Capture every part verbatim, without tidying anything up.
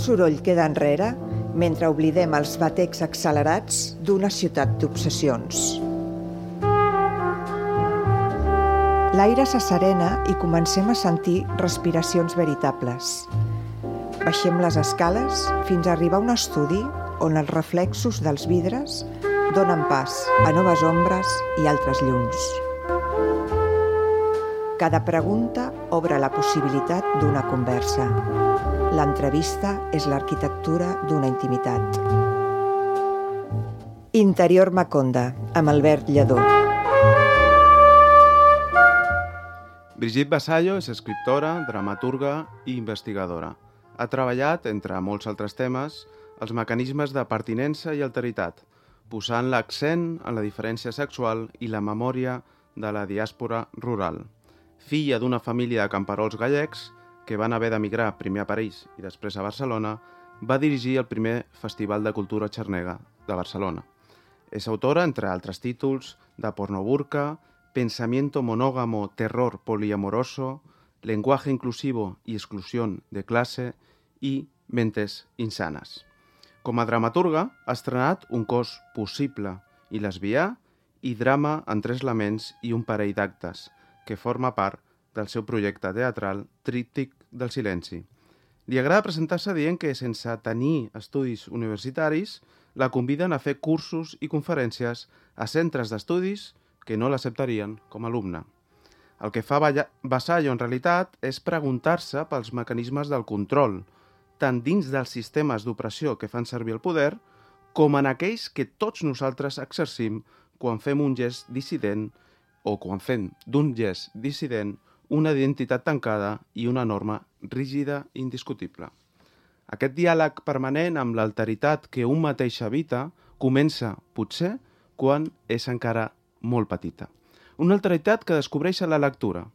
soroll queda enrere mentre oblidem els batecs accelerats d'una ciutat d'obsessions. L'aire s'asserena i comencem a sentir respiracions veritables. Baixem les escales fins a arribar a un estudi on els reflexos dels vidres donen pas a noves ombres i altres llums. Cada pregunta obre la possibilitat d'una conversa. L'entrevista és l'arquitectura d'una intimitat. Interior Maconda, amb Albert Lledó. Brigitte Vasallo és escriptora, dramaturga i investigadora. Ha treballat, entre molts altres temes, els mecanismes de pertinença i alteritat, posant l'accent en la diferència sexual i la memòria de la diàspora rural. Filla d'una família de camperols gallecs que van haver d'emigrar primer a París i després a Barcelona, va dirigir el primer Festival de Cultura Xarnega de Barcelona. És autora, entre altres títols, de Pornoburka, Pensamiento monógamo, terror poliamoroso, Lenguaje inclusivo y exclusión de clase i Mentes insanes. Com a dramaturga, ha estrenat Un cos possible i lesbià i drama en tres laments i un parell d'actes, que forma part del seu projecte teatral Tríptic del silenci. Li agrada presentar-se dient que, sense tenir estudis universitaris, la conviden a fer cursos i conferències a centres d'estudis que no l'acceptarien com a alumne. El que fa Vasallo, en realitat, és preguntar-se pels mecanismes del control, tant dins dels sistemes d'opressió que fan servir el poder, com en aquells que tots nosaltres exercim quan fem un gest dissident o quan fem d'un gest dissident una identitat tancada i una norma rígida i indiscutible. Aquest diàleg permanent amb l'alteritat que un mateix habita comença, potser, quan és encara molt petita. Una alteritat que descobreix a la lectura.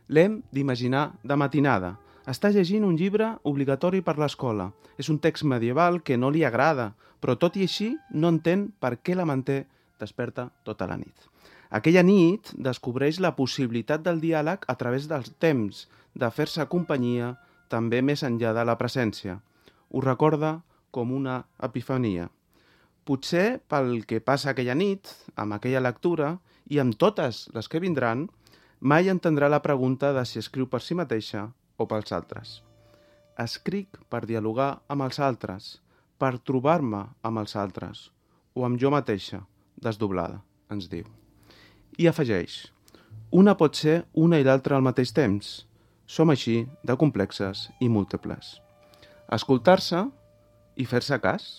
L'hem d'imaginar de matinada. Està llegint un llibre obligatori per l'escola. És un text medieval que no li agrada, però tot i així no entén per què la manté desperta tota la nit. Aquella nit descobreix la possibilitat del diàleg a través dels temps, de fer-se companyia també més enllà de la presència. Ho recorda com una epifania. Potser pel que passa aquella nit, amb aquella lectura, i amb totes les que vindran, mai entendrà la pregunta de si escriu per si mateixa o pels altres. Escric per dialogar amb els altres, per trobar-me amb els altres, o amb jo mateixa, desdoblada, ens diu. I afegeix, una pot ser una i l'altra al mateix temps. Som així de complexes i múltiples. Escoltar-se i fer-se cas,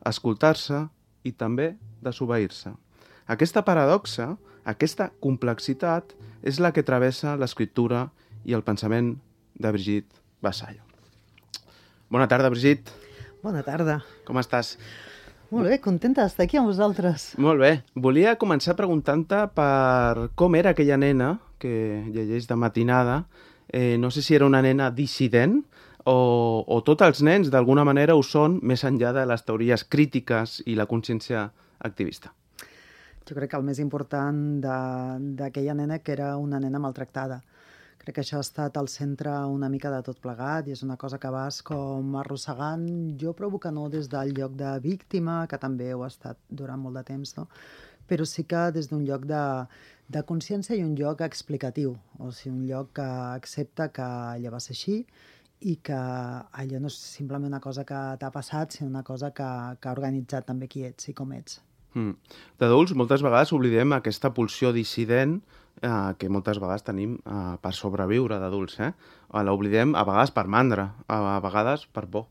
escoltar-se i també desobeir-se. Aquesta paradoxa, aquesta complexitat, és la que travessa l'escriptura i el pensament de Brigitte Vasallo. Bona tarda, Brigitte. Bona tarda. Com estàs? Molt bé, contenta d'estar aquí amb vosaltres. Molt bé. Volia començar preguntant-te per com era aquella nena que llegeix de matinada. Eh, no sé si era una nena dissident o, o tots els nens d'alguna manera ho són més enllà de les teories crítiques i la consciència activista. Jo crec que el més important d'aquella nena que era una nena maltractada. Crec que això ha estat al centre una mica de tot plegat i és una cosa que vas com arrossegant, jo provo que no des del lloc de víctima, que també ho ha estat durant molt de temps, no? Però sí que des d'un lloc de, de consciència i un lloc explicatiu, o sigui, un lloc que accepta que allò va ser així i que allò no és simplement una cosa que t'ha passat, sinó una cosa que, que ha organitzat també qui ets i com ets. Mm. D'adults, moltes vegades oblidem aquesta pulsió dissident eh, que moltes vegades tenim eh, per sobreviure d'adults. Eh? L'oblidem a vegades per mandra, a vegades per por.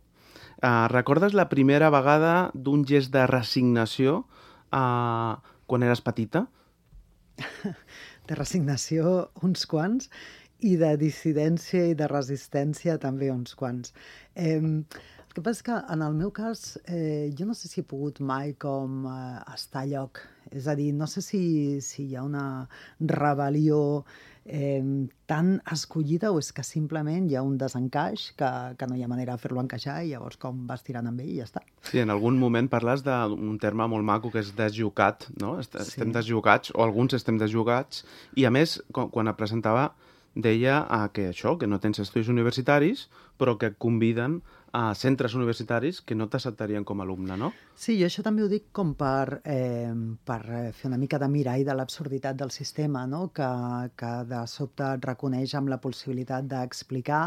Eh, recordes la primera vegada d'un gest de resignació eh, quan eres petita? De resignació uns quants i de dissidència i de resistència també uns quants. Eh, el que passa és que en el meu cas eh, jo no sé si he pogut mai com eh, estar a lloc. És a dir, no sé si, si hi ha una rebel·lió eh, tan escollida o és que simplement hi ha un desencaix que, que no hi ha manera de fer-lo encaixar i llavors com vas tirant amb ell i ja està. Sí, en algun moment parles d'un terme molt maco que és desjucat, no? Estem sí. desjugats, o alguns estem desjugats, i a més, quan et presentava, deia que això, que no tens estudis universitaris, però que et conviden a centres universitaris que no t'acceptarien com a alumne, no? Sí, jo això també ho dic com per, eh, per fer una mica de mirall de l'absurditat del sistema, no? que, que de sobte et reconeix amb la possibilitat d'explicar,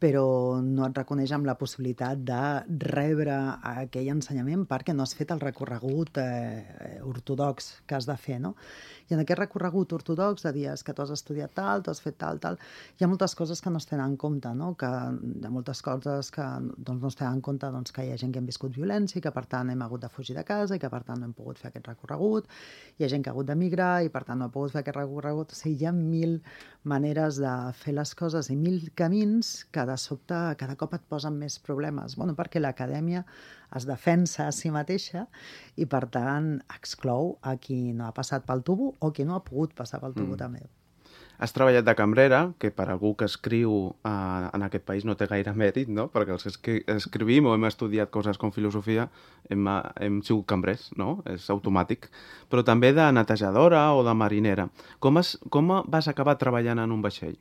però no et reconeix amb la possibilitat de rebre aquell ensenyament perquè no has fet el recorregut eh, ortodox que has de fer, no? I en aquest recorregut ortodox de dir que tu has estudiat tal, tu has fet tal, tal, hi ha moltes coses que no es tenen en compte, no? Que hi ha moltes coses que doncs, no es tenen en compte doncs, que hi ha gent que hem viscut violència i que per tant hem hagut de fugir de casa i que per tant no hem pogut fer aquest recorregut, hi ha gent que ha hagut d'emigrar i per tant no ha pogut fer aquest recorregut, o sigui, hi ha mil maneres de fer les coses i mil camins que de sobte cada cop et posen més problemes. Bueno, perquè l'acadèmia es defensa a si mateixa i, per tant, exclou a qui no ha passat pel tubo o qui no ha pogut passar pel tubo mm. també. Has treballat de cambrera, que per algú que escriu eh, en aquest país no té gaire mèrit, no? Perquè els que escrivim o hem estudiat coses com filosofia hem, hem sigut cambrers, no? És automàtic. Però també de netejadora o de marinera. Com, es, com vas acabar treballant en un vaixell?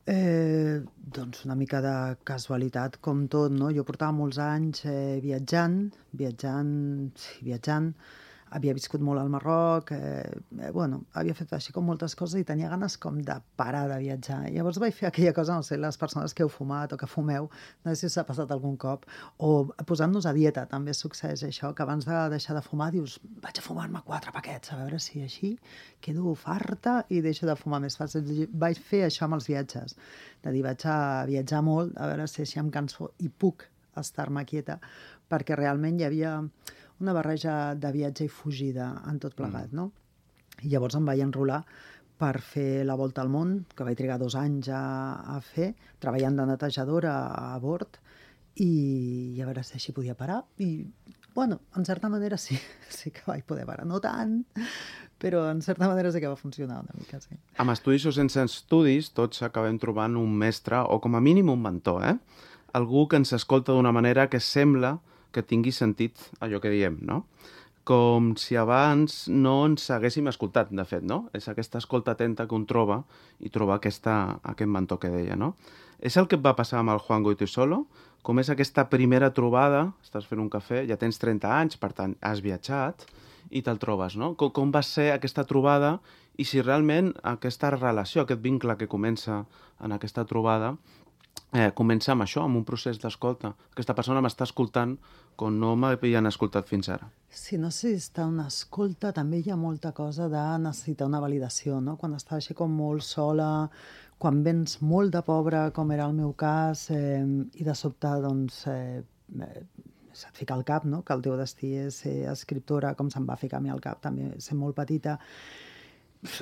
Eh, doncs una mica de casualitat, com tot, no? Jo portava molts anys eh, viatjant, viatjant, sí, viatjant, havia viscut molt al Marroc, eh, eh, bueno, havia fet així com moltes coses i tenia ganes com de parar de viatjar. I llavors vaig fer aquella cosa, no sé, les persones que heu fumat o que fumeu, no sé si us ha passat algun cop, o posant-nos a dieta, també succeeix això, que abans de deixar de fumar dius, vaig a fumar-me quatre paquets, a veure si així quedo farta i deixo de fumar més fàcil. Vaig fer això amb els viatges, de dir, vaig a viatjar molt, a veure si així em canso i puc estar-me quieta, perquè realment hi havia una barreja de viatge i fugida en tot plegat, no? I llavors em vaig enrolar per fer la volta al món, que vaig trigar dos anys a, a fer, treballant de netejadora a bord, i, i a veure si així podia parar. I, bueno, en certa manera sí, sí que vaig poder parar. No tant, però en certa manera sí que va funcionar una mica, sí. Amb estudis o sense estudis, tots acabem trobant un mestre, o com a mínim un mentor, eh? Algú que ens escolta d'una manera que sembla que tingui sentit allò que diem, no? Com si abans no ens haguéssim escoltat, de fet, no? És aquesta escolta atenta que un troba i troba aquesta, aquest mentor que deia, no? És el que et va passar amb el Juan Goytisolo? Com és aquesta primera trobada, estàs fent un cafè, ja tens trenta anys, per tant, has viatjat i te'l trobes, no? Com, com va ser aquesta trobada i si realment aquesta relació, aquest vincle que comença en aquesta trobada Eh, comença amb això, amb un procés d'escolta. Aquesta persona m'està escoltant com no m'havien escoltat fins ara. Si no necessita una escolta, també hi ha molta cosa de necessitar una validació, no? Quan estàs així com molt sola, quan vens molt de pobra, com era el meu cas, eh, i de sobte, doncs, eh, eh, se't fica al cap, no? Que el teu destí és ser escriptora, com se'm va ficar a mi al cap, també ser molt petita.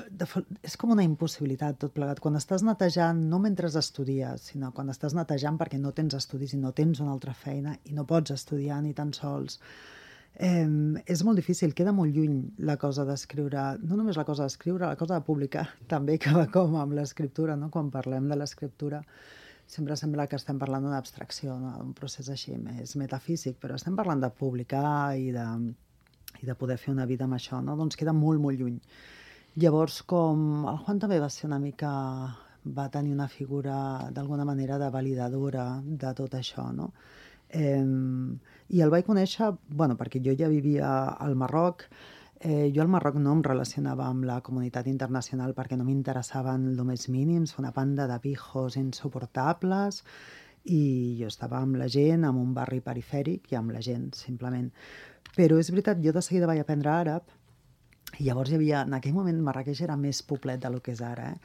De, és com una impossibilitat tot plegat. Quan estàs netejant, no mentre estudies, sinó quan estàs netejant perquè no tens estudis i no tens una altra feina i no pots estudiar ni tan sols. Eh, és molt difícil, queda molt lluny la cosa d'escriure, no només la cosa d'escriure, la cosa de publicar també que va com amb l'escriptura, no? Quan parlem de l'escriptura sempre sembla que estem parlant d'una abstracció, no? Un procés així més metafísic, però estem parlant de publicar i de, i de poder fer una vida amb això, no? Doncs queda molt, molt lluny. Llavors, com el Juan també va ser una mica, va tenir una figura d'alguna manera de validadora de tot això, no? Eh, I el vaig conèixer, bueno, perquè jo ja vivia al Marroc, eh, jo al Marroc no em relacionava amb la comunitat internacional perquè no m'interessaven el més mínims, una banda de pijos insuportables, i jo estava amb la gent, en un barri perifèric i amb la gent, simplement. Però és veritat, jo de seguida vaig aprendre àrab, i llavors hi havia, en aquell moment Marràqueix era més poblet del que és ara, eh?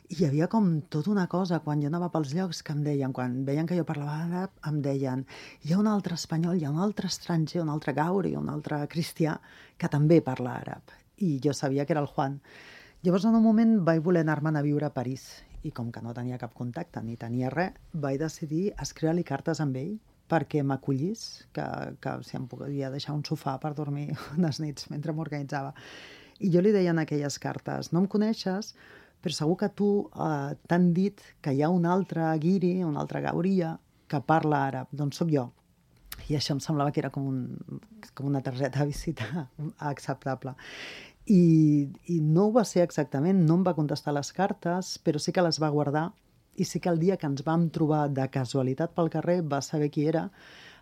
I hi havia com tota una cosa, quan jo anava pels llocs, que em deien, quan veien que jo parlava àrab, em deien, hi ha un altre espanyol, hi ha un altre estranger, un altre gauri, un altre cristià, que també parla àrab. I jo sabia que era el Juan. Llavors, en un moment, vaig voler anar-me'n a viure a París, i com que no tenia cap contacte, ni tenia res, vaig decidir escriure-li cartes amb ell, perquè m'acollís, que, que si em podia deixar un sofà per dormir unes nits mentre m'organitzava. I jo li deia en aquelles cartes, no em coneixes, però segur que tu eh, t'han dit que hi ha un altre guiri, un altre gauria, que parla àrab, doncs sóc jo. I això em semblava que era com, un, com una targeta de visita acceptable. I i no ho va ser exactament, no em va contestar les cartes, però sí que les va guardar, i sí que el dia que ens vam trobar de casualitat pel carrer va saber qui era,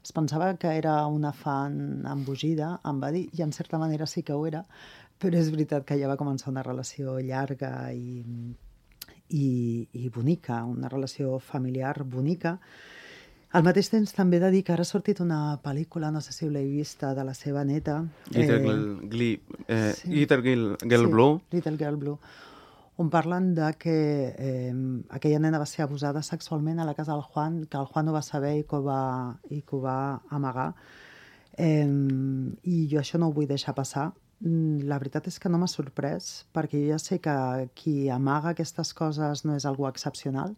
es pensava que era una fan embogida, em va dir, i en certa manera sí que ho era, però és veritat que ja va començar una relació llarga i, i, i bonica, una relació familiar bonica. Al mateix temps també he de dir que ara ha sortit una pel·lícula, no sé si l'heu vista, de la seva neta. Little, eh, Girl, Glee, eh, sí. Little Girl, Girl sí, Blue. Little Girl Blue, on parlen de que eh, aquella nena va ser abusada sexualment a la casa del Juan, que el Juan ho va saber i que ho va, i que ho va amagar. Eh, I jo això no ho vull deixar passar. La veritat és que no m'ha sorprès, perquè jo ja sé que qui amaga aquestes coses no és algú excepcional,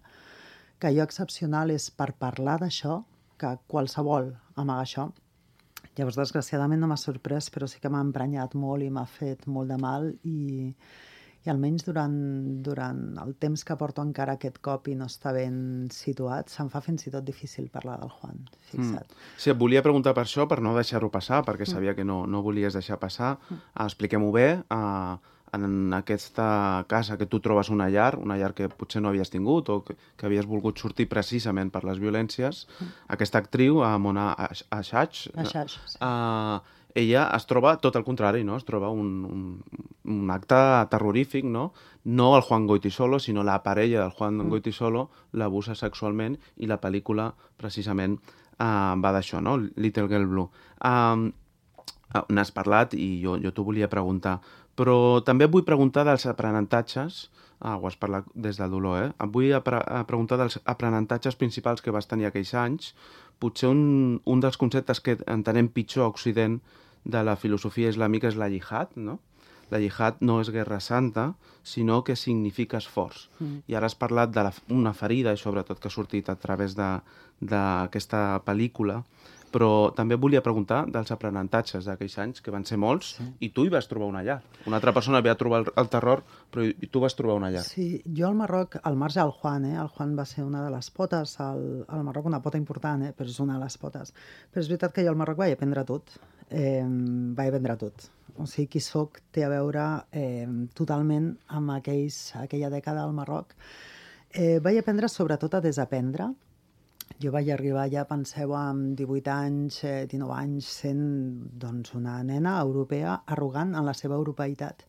que allò excepcional és per parlar d'això, que qualsevol amaga això. Llavors, desgraciadament no m'ha sorprès, però sí que m'ha emprenyat molt i m'ha fet molt de mal i, i almenys durant, durant el temps que porto encara aquest cop i no està ben situat, se'm fa fins i tot difícil parlar del Juan, fixa't. Mm. Sí, et volia preguntar per això, per no deixar-ho passar, perquè sabia que no, no volies deixar passar. Mm. Ah, expliquem-ho bé. Ah, en aquesta casa que tu trobes una llar, una llar que potser no havies tingut o que, que havies volgut sortir precisament per les violències, mm. aquesta actriu, a Mona Ashash, Ashash, sí. uh, ella es troba tot el contrari, no? Es troba un, un, un acte terrorífic, no? No el Juan Goytisolo, sinó la parella del Juan mm. Goytisolo l'abusa sexualment i la pel·lícula precisament uh, va d'això, no? Little Girl Blue. Um, n'has parlat i jo, jo t'ho volia preguntar, però també et vull preguntar dels aprenentatges, ah, ho has parlat des del dolor, eh? Et vull apre preguntar dels aprenentatges principals que vas tenir aquells anys. Potser un, un dels conceptes que entenem pitjor a Occident de la filosofia islàmica és la jihad, no? La jihad no és guerra santa, sinó que significa esforç. Mm. I ara has parlat d'una ferida, i sobretot que ha sortit a través d'aquesta pel·lícula, però també volia preguntar dels aprenentatges d'aquells anys, que van ser molts, sí. I tu hi vas trobar una llar. Una altra persona havia trobat el terror, però tu vas trobar una llar. Sí, jo al Marroc, al marge del Juan, eh? El Juan va ser una de les potes, al, al Marroc una pota important, eh? Però és una de les potes. Però és veritat que jo al Marroc vaig aprendre tot. Eh, vaig aprendre tot. O sigui, qui soc té a veure eh, totalment amb aquells, aquella dècada al Marroc. Eh, vaig aprendre sobretot a desaprendre. Jo vaig arribar ja, penseu, amb divuit anys, dinou anys, sent doncs, una nena europea arrogant en la seva europeïtat,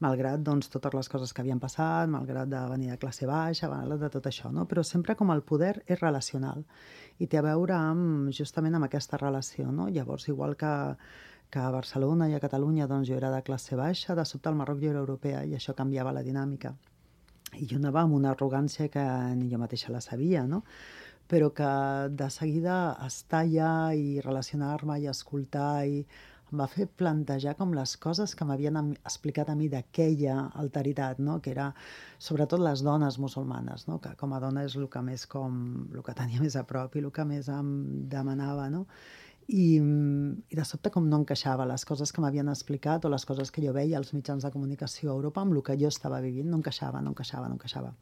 malgrat doncs, totes les coses que havien passat, malgrat de venir de classe baixa, malgrat de tot això, no? Però sempre com el poder és relacional i té a veure amb, justament amb aquesta relació, no? Llavors, igual que, que a Barcelona i a Catalunya doncs, jo era de classe baixa, de sobte al Marroc jo era europea i això canviava la dinàmica. I jo anava amb una arrogància que ni jo mateixa la sabia, no? Però que de seguida estar allà i relacionar-me i escoltar i em va fer plantejar com les coses que m'havien explicat a mi d'aquella alteritat, no? Que era sobretot les dones musulmanes, no? Que com a dona és el que més com, el que tenia més a prop i el que més em demanava, no? I, i de sobte com no encaixava les coses que m'havien explicat o les coses que jo veia als mitjans de comunicació a Europa amb el que jo estava vivint, no encaixava, no encaixava, no encaixava.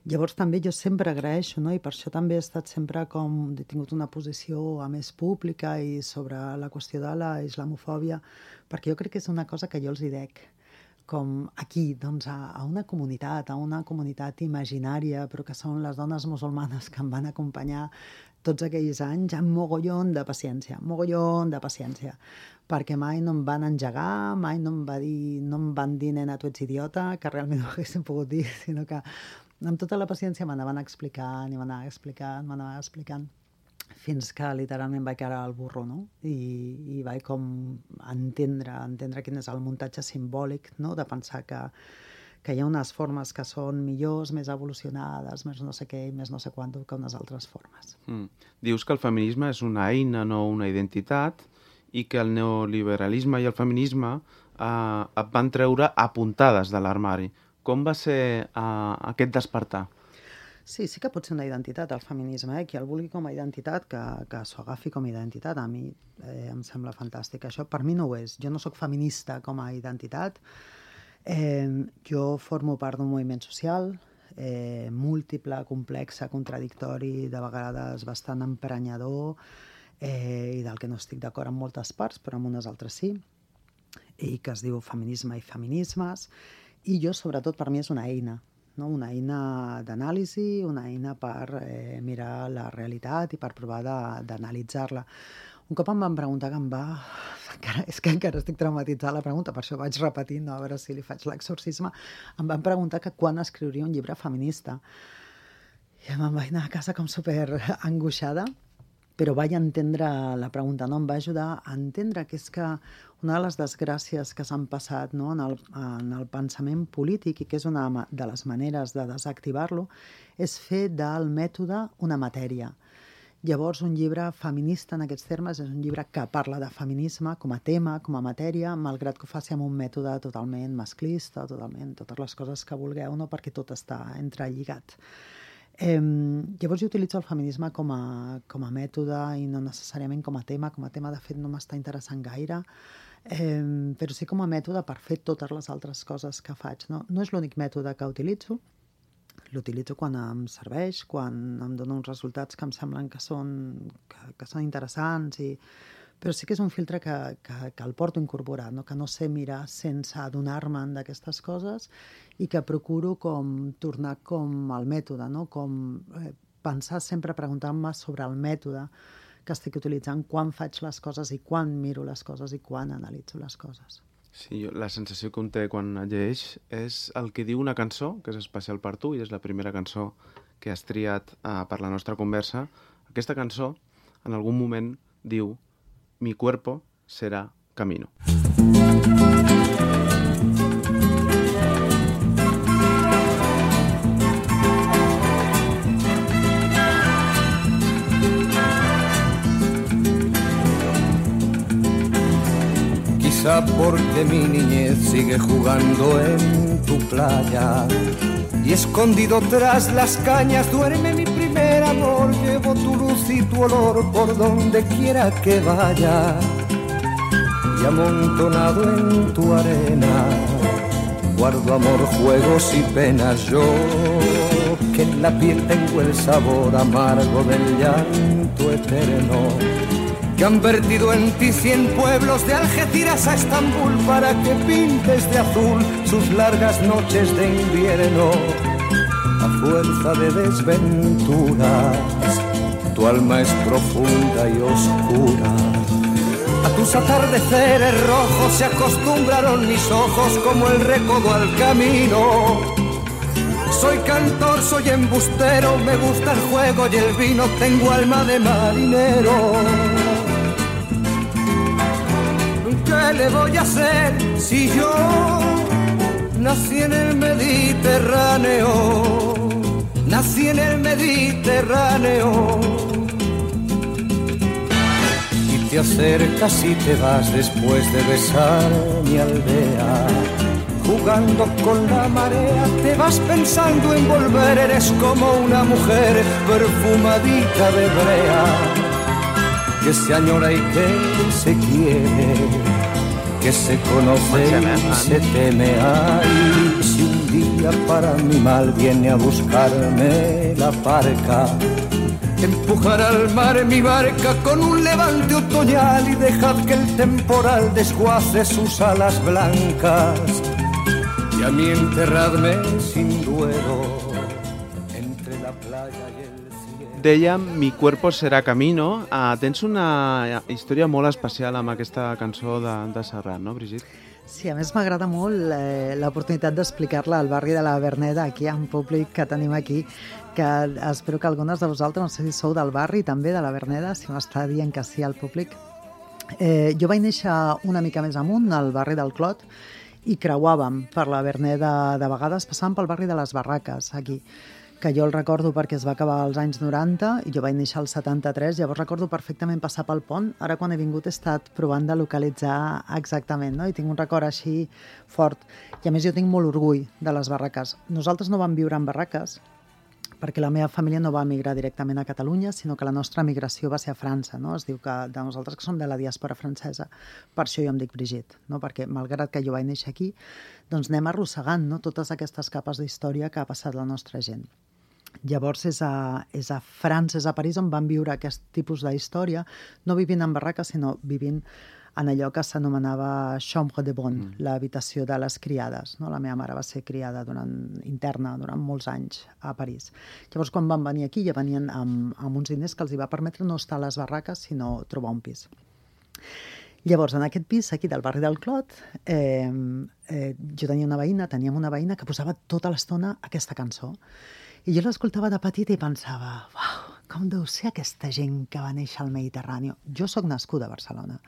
Llavors també jo sempre agraeixo, no? I per això també he estat sempre com, he tingut una posició a més pública i sobre la qüestió de la islamofòbia, perquè jo crec que és una cosa que jo els hi dec, com aquí, doncs a, a una comunitat, a una comunitat imaginària, però que són les dones musulmanes que em van acompanyar tots aquells anys, amb mogollon de paciència, mogollon de paciència, perquè mai no em van engegar, mai no em, va dir, no em van dir, nena, tu ets idiota, que realment ho haguessin pogut dir, sinó que amb tota la paciència m'anaven explicant i m'anaven explicant, m'anaven explicant, fins que literalment vaig quedar al burro, no? I, i vaig com entendre, entendre quin és el muntatge simbòlic, no? De pensar que, que hi ha unes formes que són millors, més evolucionades, més no sé què, més no sé quant que unes altres formes. Mm. Dius que el feminisme és una eina, no una identitat, i que el neoliberalisme i el feminisme eh, et van treure apuntades de l'armari. Com va ser uh, aquest despertar? Sí, sí que pot ser una identitat, el feminisme. Eh? Qui el vulgui com a identitat, que, que s'ho agafi com a identitat. A mi eh, em sembla fantàstic. Això per mi no ho és. Jo no sóc feminista com a identitat. Eh, jo formo part d'un moviment social eh, múltiple, complex, contradictori, de vegades bastant emprenyador, eh, i del que no estic d'acord en moltes parts, però en unes altres sí. i que es diu Feminisme i feminismes, i jo, sobretot, per mi és una eina, no? Una eina d'anàlisi, una eina per eh, mirar la realitat i per provar d'analitzar-la. Un cop em van preguntar que em va... Encara, és que encara estic traumatitzada la pregunta, per això vaig repetint, no? A veure si li faig l'exorcisme. Em van preguntar que quan escriuria un llibre feminista. I me'n vaig anar a casa com super angoixada, però vaig entendre la pregunta, no? Em va ajudar a entendre que és que una de les desgràcies que s'han passat, no? en, el, en el pensament polític, i que és una de les maneres de desactivar-lo, és fer del mètode una matèria. Llavors, un llibre feminista en aquests termes és un llibre que parla de feminisme com a tema, com a matèria, malgrat que ho faci amb un mètode totalment masclista, totalment totes les coses que vulgueu, no? Perquè tot està entrelligat. Eh, llavors jo utilitzo el feminisme com a, com a mètode i no necessàriament com a tema. Com a tema, de fet, no m'està interessant gaire, eh, però sí com a mètode per fer totes les altres coses que faig. No, no és l'únic mètode que utilitzo. L'utilitzo quan em serveix, quan em dona uns resultats que em semblen que són, que, que són interessants, i... però sí que és un filtre que, que, que el porto incorporat, no? Que no sé mirar sense adonar-me'n d'aquestes coses i que procuro com tornar com al mètode, no? Com eh, pensar sempre preguntant-me sobre el mètode que estic utilitzant, quan faig les coses i quan miro les coses i quan analitzo les coses. Sí, la sensació que un té quan llegeix és el que diu una cançó, que és especial per tu, i és la primera cançó que has triat uh, per la nostra conversa. Aquesta cançó, en algun moment, diu «Mi cuerpo será camino». Quizá porque mi niñez sigue jugando en tu playa y escondido tras las cañas duerme mi primer amor. Llevo tu luz y tu olor por donde quiera que vaya y amontonado en tu arena guardo amor, juegos y penas. Yo que en la piel tengo el sabor amargo del llanto eterno, que han vertido en ti cien pueblos de Algeciras a Estambul para que pintes de azul sus largas noches de invierno. A fuerza de desventuras, tu alma es profunda y oscura. A tus atardeceres rojos se acostumbraron mis ojos como el recodo al camino. Soy cantor, soy embustero, me gusta el juego y el vino, tengo alma de marinero. ¿Qué le voy a hacer si yo nací en el Mediterráneo? Nací en el Mediterráneo. Y te acercas y te vas después de besar mi aldea. Jugando con la marea, te vas pensando en volver. Eres como una mujer perfumadita de brea, que se añora y que se quiere, que se conoce y se teme. Ay, si un día para mi mal viene a buscarme la parca, empujar al mar mi barca con un levante otoñal y dejad que el temporal desguace sus alas blancas y a mí enterradme sin duelo entre la playa y el cielo. Dèiem Mi cuerpo será camino. Uh, tens una història molt especial amb aquesta cançó de, de Serrat, no, Brigitte? Sí, a més m'agrada molt eh, l'oportunitat d'explicar-la al barri de la Verneda, aquí en públic que tenim aquí, que espero que algunes de vosaltres, no sé si sou del barri també de la Verneda, si m'està dient que sí al públic. Eh, jo vaig néixer una mica més amunt, al barri del Clot, i creuàvem per la Verneda de vegades, passàvem pel barri de les Barraques, aquí, que jo el recordo perquè es va acabar als anys noranta i jo vaig néixer al setanta-tres, llavors recordo perfectament passar pel pont. Ara quan he vingut he estat provant de localitzar exactament, no? I tinc un record així fort. I a més jo tinc molt orgull de les barraques. Nosaltres no vam viure en barraques perquè la meva família no va emigrar directament a Catalunya, sinó que la nostra migració va ser a França, no? Es diu que de nosaltres que som de la diàspora francesa. Per això jo em dic Brigitte, no? Perquè malgrat que jo vaig néixer aquí, doncs anem arrossegant, no? Totes aquestes capes d'història que ha passat la nostra gent. Llavors és a, és a França, és a París on van viure aquest tipus d'història, no vivint en barraques, sinó vivint en allò que s'anomenava chambre de bonne, mm. l'habitació de les criades. No? La meva mare va ser criada durant, interna durant molts anys a París. Llavors, quan van venir aquí, ja venien amb, amb uns diners que els hi va permetre no estar a les barraques, sinó trobar un pis. Llavors, en aquest pis, aquí del barri del Clot, eh, eh, jo tenia una veïna, teníem una veïna que posava tota l'estona aquesta cançó. I jo l'escoltava de petita i pensava, uau, com deu ser aquesta gent que va néixer al Mediterrani? Jo sóc nascuda a Barcelona.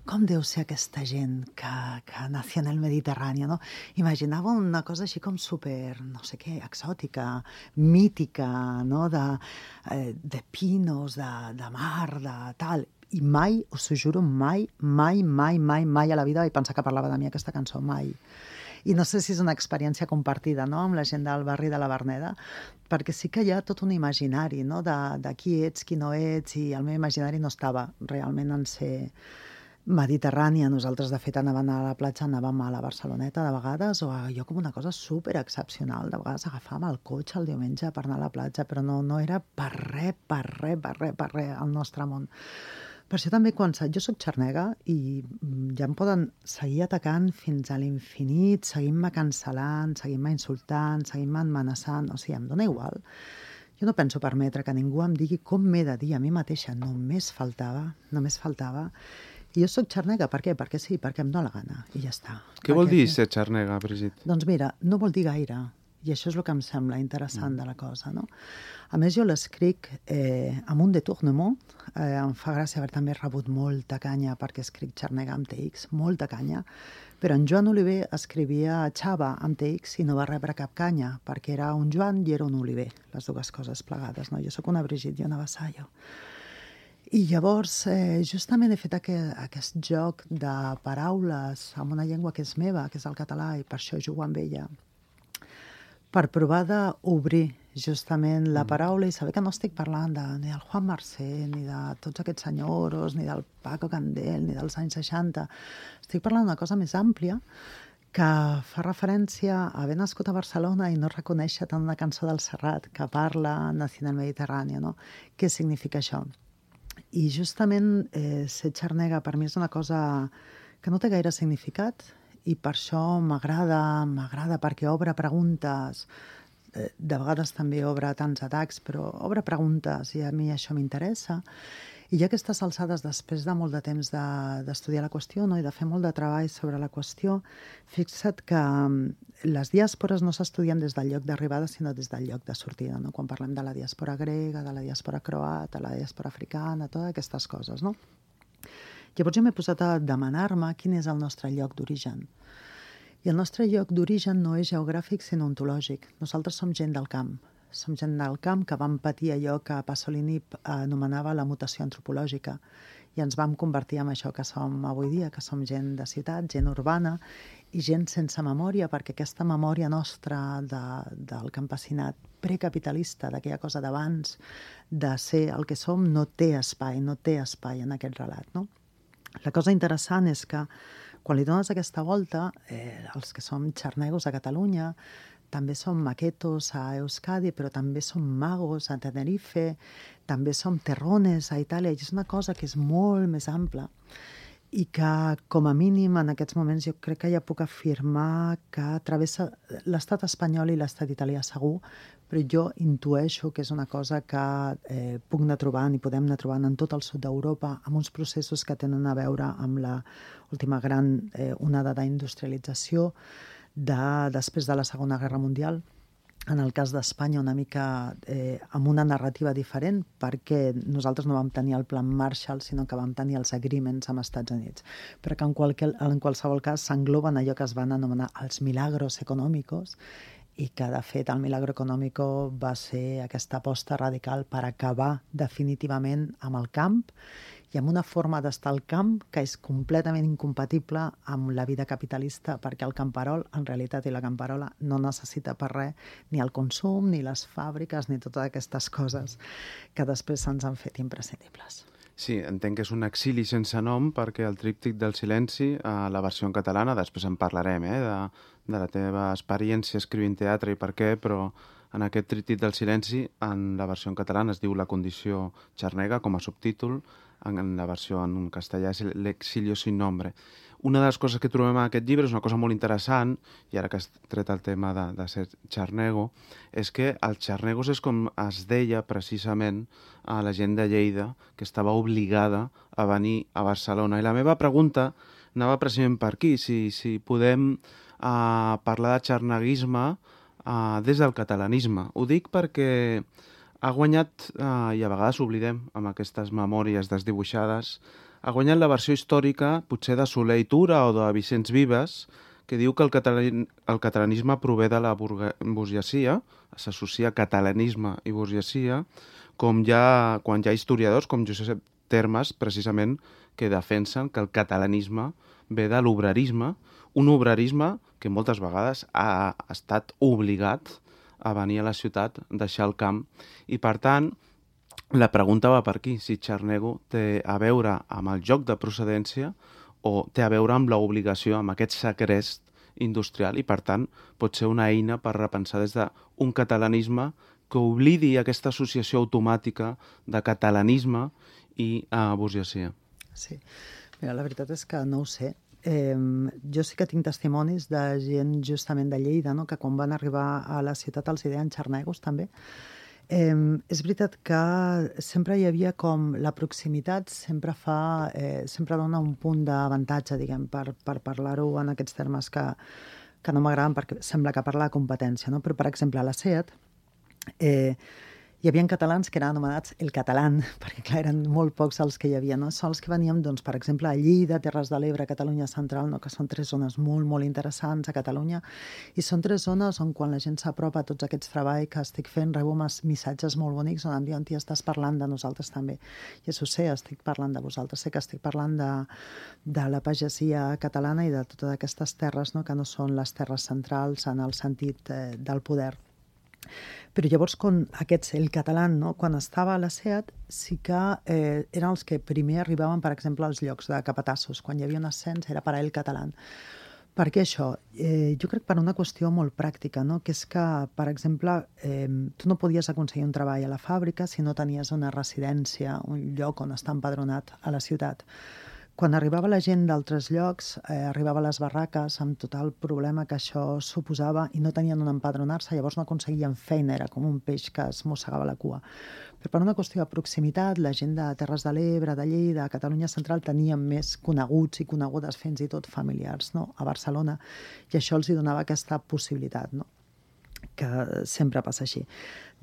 Com deu ser aquesta gent que, que nació en el Mediterrani, no? Imaginava una cosa així com super, no sé què, exòtica, mítica, no? De, eh, de pinos, de, de mar, de tal. I mai, us ho juro, mai, mai, mai, mai, mai a la vida vaig pensar que parlava de mi aquesta cançó, mai. I no sé si és una experiència compartida, no?, amb la gent del barri de la Verneda, perquè sí que hi ha tot un imaginari, no?, de, de qui ets, qui no ets, i el meu imaginari no estava realment en ser mediterrània. Nosaltres, de fet, anàvem a la platja, anàvem a la Barceloneta de vegades, o allò com una cosa super excepcional. De vegades agafàvem el cotxe el diumenge per anar a la platja, però no, no era per res, per res, per res, per res al nostre món. Per això també, quan jo soc xarnega i ja em poden seguir atacant fins a l'infinit, seguint-me cancel·lant, seguint-me insultant, seguint-me amenaçant, o sigui, em dona igual. Jo no penso permetre que ningú em digui com m'he de dir a mi mateixa. Només faltava, només faltava. I jo soc xarnega, per què? Perquè sí, perquè em dóna la gana, i ja està. Què vol dir ser xarnega, Brigitte? Doncs mira, no vol dir gaire. I això és el que em sembla interessant de la cosa, no? A més, jo l'escric eh, amb un détournement. Eh, em fa gràcia haver també rebut molta canya perquè escric xarnega amb T X, molta canya. Però en Joan Oliver escrivia Xava amb T X i no va rebre cap canya, perquè era un Joan i era un Oliver, les dues coses plegades, no? Jo sóc una Brigitte i una Vassallo. I llavors, eh, justament he fet aquest, aquest joc de paraules amb una llengua que és meva, que és el català, i per això jugo amb ella, per provar d'obrir justament la paraula i saber que no estic parlant de, ni del Juan Marsé, ni de tots aquests senyoros, ni del Paco Candel, ni dels anys seixanta. Estic parlant d'una cosa més àmplia que fa referència a haver nascut a Barcelona i no reconèixer tant una cançó del Serrat que parla nació en el Mediterrani, no? Què significa això? I justament eh, ser xarnega per mi és una cosa que no té gaire significat, i per això m'agrada, m'agrada perquè obre preguntes, de vegades també obre tants atacs, però obre preguntes i a mi això m'interessa. I ja aquestes alçades, després de molt de temps d'estudiar la qüestió, no, i de fer molt de treball sobre la qüestió, fixa't que les diàspores no s'estudien des del lloc d'arribada, sinó des del lloc de sortida, no? Quan parlem de la diàspora grega, de la diàspora croata, de la diàspora africana, totes aquestes coses, no? Llavors jo m'he posat a demanar-me quin és el nostre lloc d'origen. I el nostre lloc d'origen no és geogràfic, sinó ontològic. Nosaltres som gent del camp. Som gent del camp que vam patir allò que Pasolini anomenava la mutació antropològica. I ens vam convertir en això que som avui dia, que som gent de ciutat, gent urbana i gent sense memòria, perquè aquesta memòria nostra de, del campesinat precapitalista, d'aquella cosa d'abans de ser el que som, no té espai, no té espai en aquest relat, no? La cosa interessant és que quan li dones aquesta volta, eh, els que som xarnegos a Catalunya, també som maquetos a Euskadi, però també som magos a Tenerife, també som terrones a Itàlia, i és una cosa que és molt més ampla i que, com a mínim, en aquests moments jo crec que ja puc afirmar que travessa l'estat espanyol i l'estat italià segur, però jo intueixo que és una cosa que eh, puc anar trobant i podem anar trobant en tot el sud d'Europa amb uns processos que tenen a veure amb la última gran eh, onada d'industrialització de, després de la Segona Guerra Mundial. En el cas d'Espanya, una mica eh, amb una narrativa diferent, perquè nosaltres no vam tenir el Plan Marshall, sinó que vam tenir els agreements amb Estats Units. Però que en, qualque, en qualsevol cas s'engloben allò que es van anomenar els milagros econòmicos, i que, de fet, el milagro econòmico va ser aquesta aposta radical per acabar definitivament amb el camp i amb una forma d'estar al camp que és completament incompatible amb la vida capitalista, perquè el camperol, en realitat, i la camperola, no necessita per res ni el consum, ni les fàbriques, ni totes aquestes coses que després se'ns han fet imprescindibles. Sí, entenc que és un exili sense nom, perquè el tríptic del silenci, a la versió en catalana, després en parlarem, eh, de, de la teva experiència escrivint teatre i per què, però en aquest tríptic del silenci, en la versió en catalana es diu La condició xarnega, com a subtítol. en la versió en castellà és L'exilio sin nombre. Una de les coses que trobem en aquest llibre és una cosa molt interessant, i ara que has tret el tema de, de ser xarnego, és que els xarnegos és com es deia precisament a la gent de Lleida, que estava obligada a venir a Barcelona. I la meva pregunta anava precisament per aquí, si, si podem uh, parlar de xarneguisme uh, des del catalanisme. Ho dic perquè ha guanyat, uh, i a vegades oblidem amb aquestes memòries desdibuixades, ha guanyat la versió històrica, potser de Soler i Tura o de Vicenç Vives, que diu que el, catalan, el catalanisme prové de la burgesia, s'associa catalanisme i burgesia, com ja, quan hi ha historiadors com Josep Termes, precisament, que defensen que el catalanisme ve de l'obrerisme, un obrerisme que moltes vegades ha estat obligat a venir a la ciutat, deixar el camp, i per tant, la pregunta va per aquí, si xarnego té a veure amb el joc de procedència o té a veure amb l'obligació, amb aquest segrest industrial, i per tant pot ser una eina per repensar des d'un catalanisme que oblidi aquesta associació automàtica de catalanisme i uh, burgesia. Sí, mira, la veritat és que no ho sé. Eh, jo sí que tinc testimonis de gent justament de Lleida, no?, que quan van arribar a la ciutat els deien xarnegos també. Eh, és veritat que sempre hi havia com la proximitat, sempre fa, eh, sempre dona un punt d'avantatge, diguem, per, per parlar-ho en aquests termes que, que no m'agraden perquè sembla que parla de competència, no? Però, per exemple, a la SEAT eh, hi havia catalans que eren anomenats el catalán, perquè clar, eren molt pocs els que hi havia, no? Són els que veníem, doncs, per exemple, a Lleida, Terres de l'Ebre, Catalunya Central, no? Que són tres zones molt, molt interessants a Catalunya, i són tres zones on quan la gent s'apropa a tots aquests treballs que estic fent, rebo missatges molt bonics on em diuen, tia, estàs parlant de nosaltres també. I això ho sé, estic parlant de vosaltres, sé que estic parlant de, de la pagesia catalana i de totes aquestes terres, no?, que no són les terres centrals en el sentit eh, del poder. Però llavors, quan aquests, el català, no?, quan estava a la SEAT, sí que eh, eren els que primer arribaven, per exemple, als llocs de capatassos. Quan hi havia un ascens era per a el català. Per què això? Eh, jo crec per una qüestió molt pràctica, no?, que és que, per exemple, eh, tu no podies aconseguir un treball a la fàbrica si no tenies una residència, un lloc on estar empadronat a la ciutat. Quan arribava la gent d'altres llocs, eh, arribava a les barraques amb tot el problema que això suposava i no tenien on empadronar-se, llavors no aconseguien feina, era com un peix que es mossegava la cua. Però per una qüestió de proximitat, la gent de Terres de l'Ebre, de Lleida, Catalunya Central, tenien més coneguts i conegudes fins i tot familiars, no?, a Barcelona, i això els hi donava aquesta possibilitat, no?, que sempre passa així.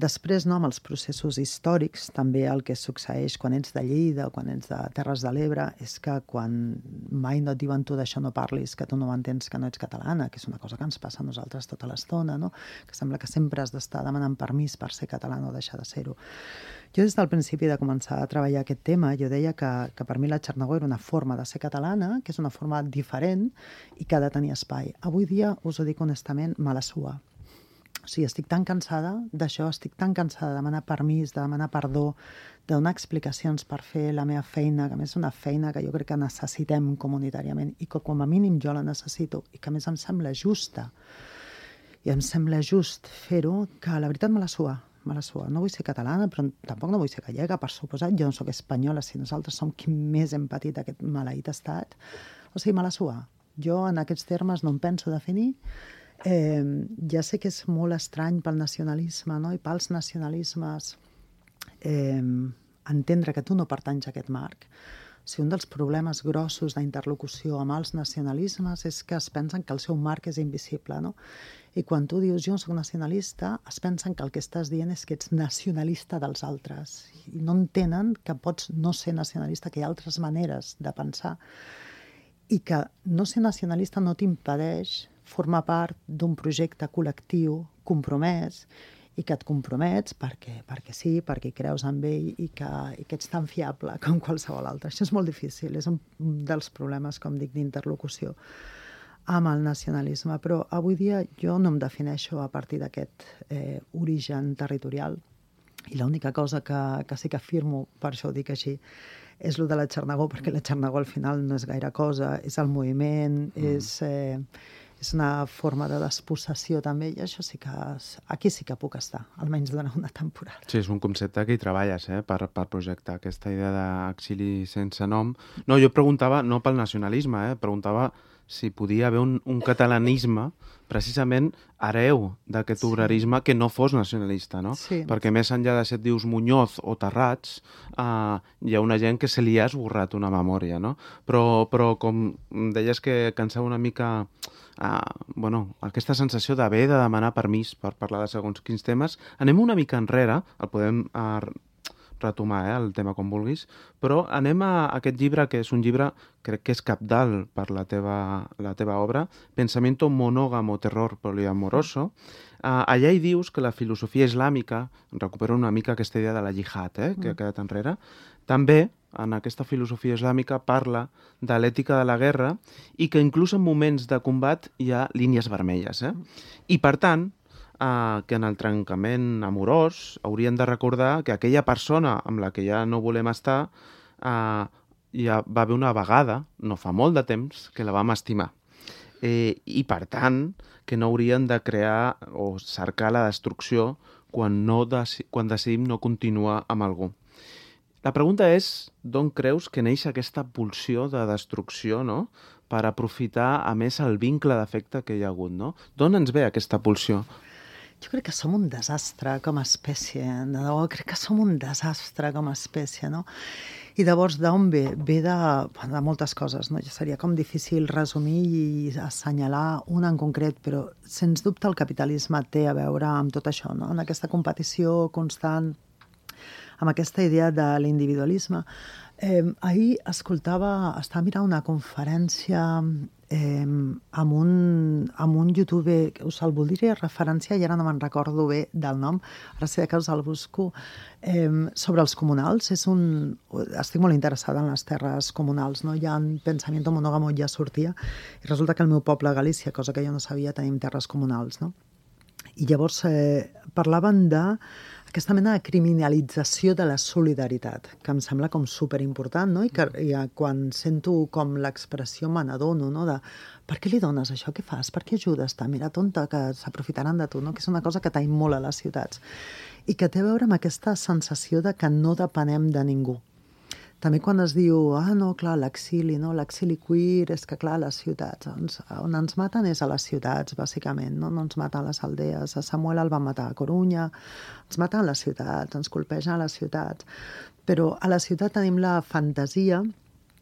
Després, no, amb els processos històrics, també el que succeeix quan ets de Lleida o quan ets de Terres de l'Ebre és que quan mai no et diuen tu d'això no parlis, que tu no entens que no ets catalana, que és una cosa que ens passa a nosaltres tota l'estona, no?, que sembla que sempre has d'estar demanant permís per ser catalana o deixar de ser-ho. Jo des del principi de començar a treballar aquest tema, jo deia que, que per mi la xarnego era una forma de ser catalana, que és una forma diferent i que ha de tenir espai. Avui dia, us ho dic honestament, me la sua. O sigui, estic tan cansada d'això, estic tan cansada de demanar permís, de demanar perdó, de donar explicacions per fer la meva feina, que a més és una feina que jo crec que necessitem comunitàriament i que com a mínim jo la necessito i que a més em sembla justa i em sembla just fer-ho, que la veritat me la sua, me la sua. No vull ser catalana, però tampoc no vull ser gallega, per suposat. Jo no sóc espanyola, si nosaltres som qui més hem patit aquest maleït estat. O sigui, me la sua. Jo en aquests termes no em penso definir. Eh, ja sé que és molt estrany pel nacionalisme, no?, i pels nacionalismes eh, entendre que tu no pertanys a aquest marc. O sigui, un dels problemes grossos d'interlocució amb els nacionalismes és que es pensen que el seu marc és invisible, no? I quan tu dius jo soc nacionalista, es pensen que el que estàs dient és que ets nacionalista dels altres i no entenen que pots no ser nacionalista, que hi ha altres maneres de pensar i que no ser nacionalista no t'impedeix formar part d'un projecte col·lectiu compromès i que et compromets perquè, perquè sí, perquè creus en ell i que, i que ets tan fiable com qualsevol altre. Això és molt difícil, és un dels problemes, com dic, d'interlocució amb el nacionalisme, però avui dia jo no em defineixo a partir d'aquest eh, origen territorial i l'única cosa que, que sí que afirmo, per això ho dic així, és el de la xarnego, perquè la xarnego al final no és gaire cosa, és el moviment, mm. és... Eh, és una forma de despossessió també, i això sí que... Aquí sí que puc estar, almenys durant una temporada. Sí, és un concepte que hi treballes, eh, per, per projectar aquesta idea d'exili sense nom. No, jo preguntava, no pel nacionalisme, eh, preguntava si podia haver un, un catalanisme precisament hereu d'aquest obrerisme que no fos nacionalista, no? Sí. Perquè més enllà de si et dius Muñoz o Tarrats, eh, hi ha una gent que se li ha esborrat una memòria, no? Però, però com deies que cansava una mica eh, bueno, aquesta sensació d'haver de demanar permís per parlar de segons quins temes, anem una mica enrere, el podem eh, retomar, eh, el tema com vulguis, però anem a aquest llibre, que és un llibre, crec que és cabdal per la teva, la teva obra, Pensamiento monógamo, terror poliamoroso. Uh, allà hi dius que la filosofia islàmica, recupero una mica aquesta idea de la jihad, eh, que ha quedat enrere, també en aquesta filosofia islàmica parla de l'ètica de la guerra i que inclús en moments de combat hi ha línies vermelles. Eh? I per tant, Uh, que en el trencament amorós haurien de recordar que aquella persona amb la que ja no volem estar uh, ja va haver una vegada, no fa molt de temps, que la vam estimar. Eh, I per tant, que no haurien de crear o cercar la destrucció quan, no deci- quan decidim no continuar amb algú. La pregunta és, d'on creus que neix aquesta pulsió de destrucció, no?, per aprofitar, a més, el vincle d'afecte que hi ha hagut, no? D'on ens ve aquesta pulsió? Jo crec que som un desastre com a espècie, de debò, crec que som un desastre com a espècie, no? I llavors d'on ve? Ve de, de moltes coses, no? Ja seria com difícil resumir i assenyalar una en concret, però sens dubte el capitalisme té a veure amb tot això, no? En aquesta competició constant, amb aquesta idea de l'individualisme. Eh, ahir escoltava, estava mirant una conferència eh, amb, un, amb un youtuber, us el voldria referenciar i ara no me'n recordo bé del nom, ara sé que us el busco, eh, sobre els comunals. És un, estic molt interessada en les terres comunals, no? Ja en Pensamiento monógamo ja sortia, i resulta que al meu poble, Galícia, cosa que jo no sabia, tenim terres comunals, no? I llavors eh, parlaven de aquesta mena de criminalització de la solidaritat, que em sembla com superimportant, no? I que i, quan sento com l'expressió me n'adono, no? De per què li dones això? Què fas? Per què ajudes? Mira, tonta, que s'aprofitaran de tu, no? Que és una cosa que tenim molt a les ciutats. I que té a veure amb aquesta sensació de que no depenem de ningú. També quan es diu, ah, no, clar, l'exili, no? L'exili queer, és que, clar, les ciutats, ens, on ens maten és a les ciutats, bàsicament, no? No ens maten a les aldees. A Samuel el van matar a Corunya, ens maten a les ciutats, ens colpegen a les ciutats. Però a la ciutat tenim la fantasia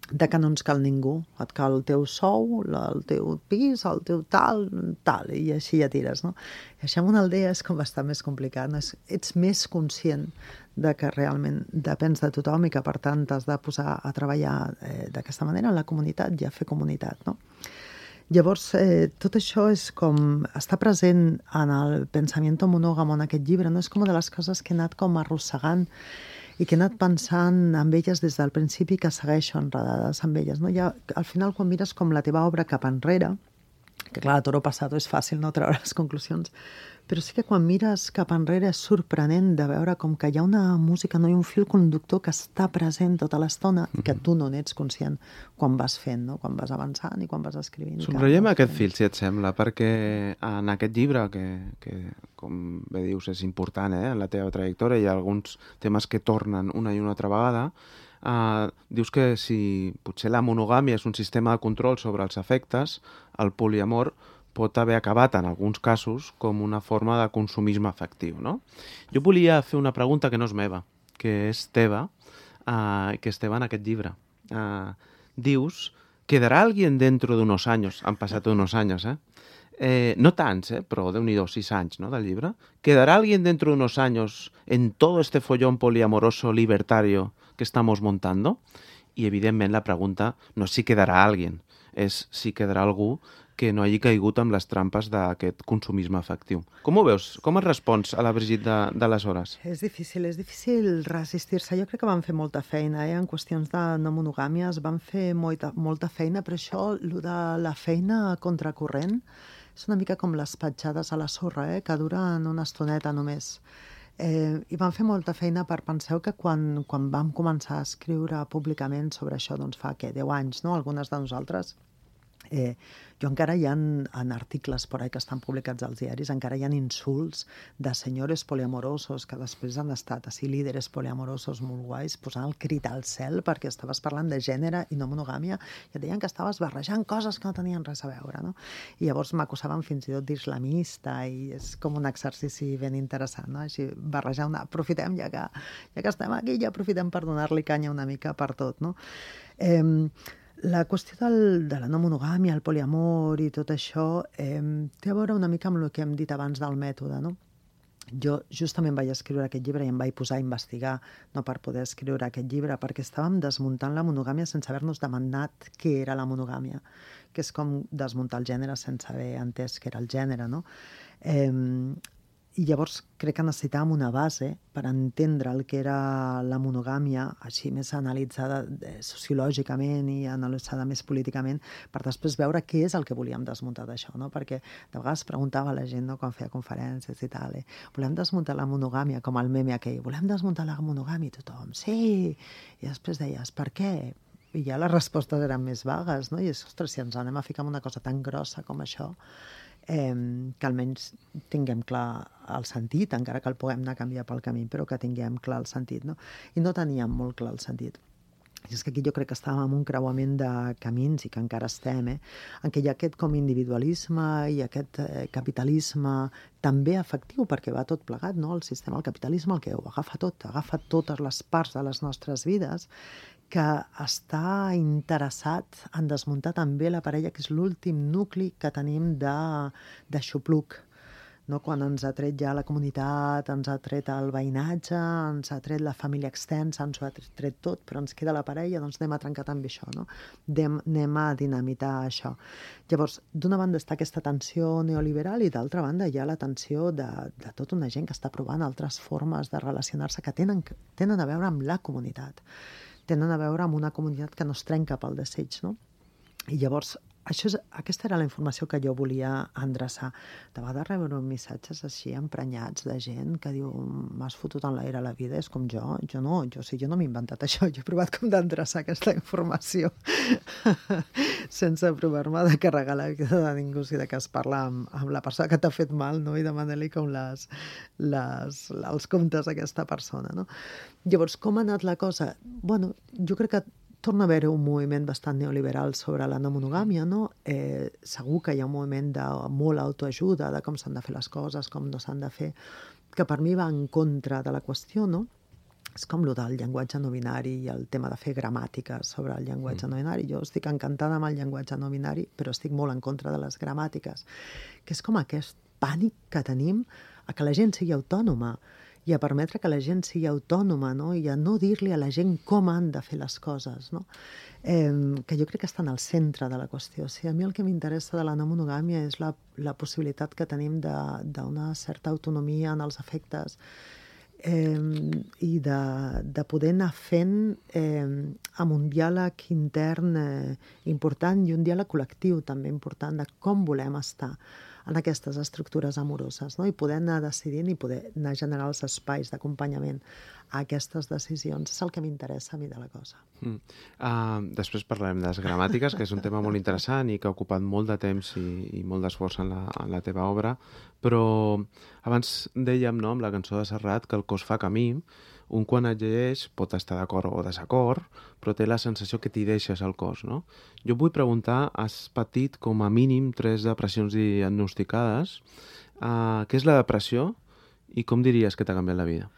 de que no ens cal ningú. Et cal el teu sou, el teu pis, el teu tal, tal, i així ja tires, no? I això en una aldea és com bastant més complicat, no? Ets més conscient de que realment depens de tothom i que, per tant, t'has de posar a treballar eh, d'aquesta manera en la comunitat i a fer comunitat, no? Llavors, eh, tot això és com... està present en el Pensamiento monógamo, en aquest llibre, no? És com una de les coses que he anat com arrossegant i que he anat pensant en elles des del principi, que segueixo enredades amb elles, no? Ja, al final, quan mires com la teva obra cap enrere, que clar, a toro passat és fàcil no treure les conclusions, però sí que quan mires cap enrere és sorprenent de veure com que hi ha una música, no hi ha un fil conductor que està present tota l'estona i que tu no n'ets conscient quan vas fent, no? Quan vas avançant i quan vas escrivint. Subratllem aquest fil, si et sembla, perquè en aquest llibre, que, que com bé dius és important, eh, en la teva trajectòria, hi ha alguns temes que tornen una i una altra vegada. Uh, dius que si potser la monogàmia és un sistema de control sobre els afectes, el poliamor pot haver acabat en alguns casos com una forma de consumisme afectiu, no? Jo volia fer una pregunta que no és meva, que és teva, uh, que és teva en aquest llibre. Uh, dius, ¿quedará alguien dentro de unos años? Han passat unos años, eh? Eh, no tants, eh, però déu-n'hi-do, sis anys, no, del llibre. ¿Quedará alguien dentro de unos años en todo este follón poliamoroso libertario que estamos montando? I, evidentment, la pregunta no és si quedarà alguien, és si quedarà algú que no hagi caigut amb les trampes d'aquest consumisme afectiu. Com ho veus? Com et respons a la Brigitte d'aleshores? És difícil, és difícil resistir-se. Jo crec que van fer molta feina, eh? En qüestions de no monogàmies van fer molta, molta feina, però això, lo de la feina contracorrent, és una mica com les petjades a la sorra, eh? Que duren una estoneta només. Eh, I vam fer molta feina per penseu que quan, quan vam començar a escriure públicament sobre això, doncs fa, què, deu anys, no? Algunes de nosaltres, Eh, jo encara hi ha en articles por ahí que estan publicats als diaris, encara hi ha insults de senyores poliamorosos que després han estat així líderes poliamorosos molt guais posant el crit al cel perquè estaves parlant de gènere i no monogàmia i et deien que estaves barrejant coses que no tenien res a veure, no? I llavors m'acusaven fins i tot d'islamista i és com un exercici ben interessant, no? Així barrejar una... aprofitem ja que, ja que estem aquí, ja aprofitem per donar-li canya una mica per tot, no? Eh, La qüestió del, de la no monogàmia, el poliamor i tot això eh, té a veure una mica amb el que hem dit abans del mètode, no? Jo justament vaig escriure aquest llibre i em vaig posar a investigar, no per poder escriure aquest llibre, perquè estàvem desmuntant la monogàmia sense haver-nos demanat què era la monogàmia, que és com desmuntar el gènere sense haver entès què era el gènere, no? Eh, I llavors crec que necessitàvem una base per entendre el que era la monogàmia, així més analitzada sociològicament i analitzada més políticament, per després veure què és el que volíem desmuntar d'això, no? Perquè de vegades preguntava a la gent, no?, quan feia conferències i tal, eh? Volem desmuntar la monogàmia, com el meme aquell, volem desmuntar la monogàmia, i tothom, sí! I després deies, per què? I ja les respostes eren més vagues, no? I és, ostres, si ens anem a ficar en una cosa tan grossa com això, Eh, que almenys tinguem clar el sentit, encara que el puguem anar a canviar pel camí, però que tinguem clar el sentit, no? I no teníem molt clar el sentit. I és que aquí jo crec que estàvem en un creuament de camins i que encara estem, eh? En què hi ha aquest com individualisme i aquest eh, capitalisme també efectiu, perquè va tot plegat, no? El sistema, el capitalisme, el que ho agafa tot, agafa totes les parts de les nostres vides, que està interessat en desmuntar també la parella, que és l'últim nucli que tenim de, de xupluc, no? Quan ens ha tret ja la comunitat, ens ha tret el veïnatge, ens ha tret la família extensa, ens ho ha tret tot, però ens queda la parella, doncs anem a trencar també això, no? Anem, anem a dinamitar això. Llavors, d'una banda està aquesta tensió neoliberal i d'altra banda hi ha la tensió de, de tota una gent que està provant altres formes de relacionar-se que tenen, tenen a veure amb la comunitat. Tenen a veure amb una comunitat que no es trenca pel desig, no? I llavors, això és, aquesta era la informació que jo volia endreçar. De vegades rebre missatges així emprenyats de gent que diu, m'has fotut en l'aire la vida, és com jo, jo no, jo, sí, jo no m'he inventat això, jo he provat com d'endreçar aquesta informació sense provar-me de carregar la vida de ningú, si de que es parla amb, amb la persona que t'ha fet mal, no? I demanar-li com les, les, els comptes a aquesta persona, no? Llavors, com ha anat la cosa? Bueno, jo crec que torna a haver un moviment bastant neoliberal sobre la no monogàmia, no? Eh, segur que hi ha un moviment de molt autoajuda, de com s'han de fer les coses, com no s'han de fer, que per mi va en contra de la qüestió, no? És com el del llenguatge no binari i el tema de fer gramàtica sobre el llenguatge mm. no binari. Jo estic encantada amb el llenguatge no binari, però estic molt en contra de les gramàtiques, que és com aquest pànic que tenim a que la gent sigui autònoma i a permetre que la gent sigui autònoma, no? I a no dir-li a la gent com han de fer les coses, no? Eh, que jo crec que està en el centre de la qüestió. O sigui, a mi el que m'interessa de la no monogàmia és la, la possibilitat que tenim d'una certa autonomia en els afectes eh, i de, de poder anar fent eh, amb un diàleg intern eh, important i un diàleg col·lectiu també important de com volem estar en aquestes estructures amoroses, no? I poder anar decidint i poder anar generant els espais d'acompanyament a aquestes decisions. És el que m'interessa a mi de la cosa. Mm. Uh, després parlarem de les gramàtiques, que és un tema molt interessant i que ha ocupat molt de temps i, i molt d'esforç en, la, en la teva obra, però abans dèiem, no, amb la cançó de Serrat, que el cos fa camí. Un quan et llegeix pot estar d'acord o desacord, però té la sensació que t'hi deixes al cos, no? Jo vull preguntar, has patit com a mínim tres depressions diagnosticades. Uh, què és la depressió i com diries que t'ha canviat la vida?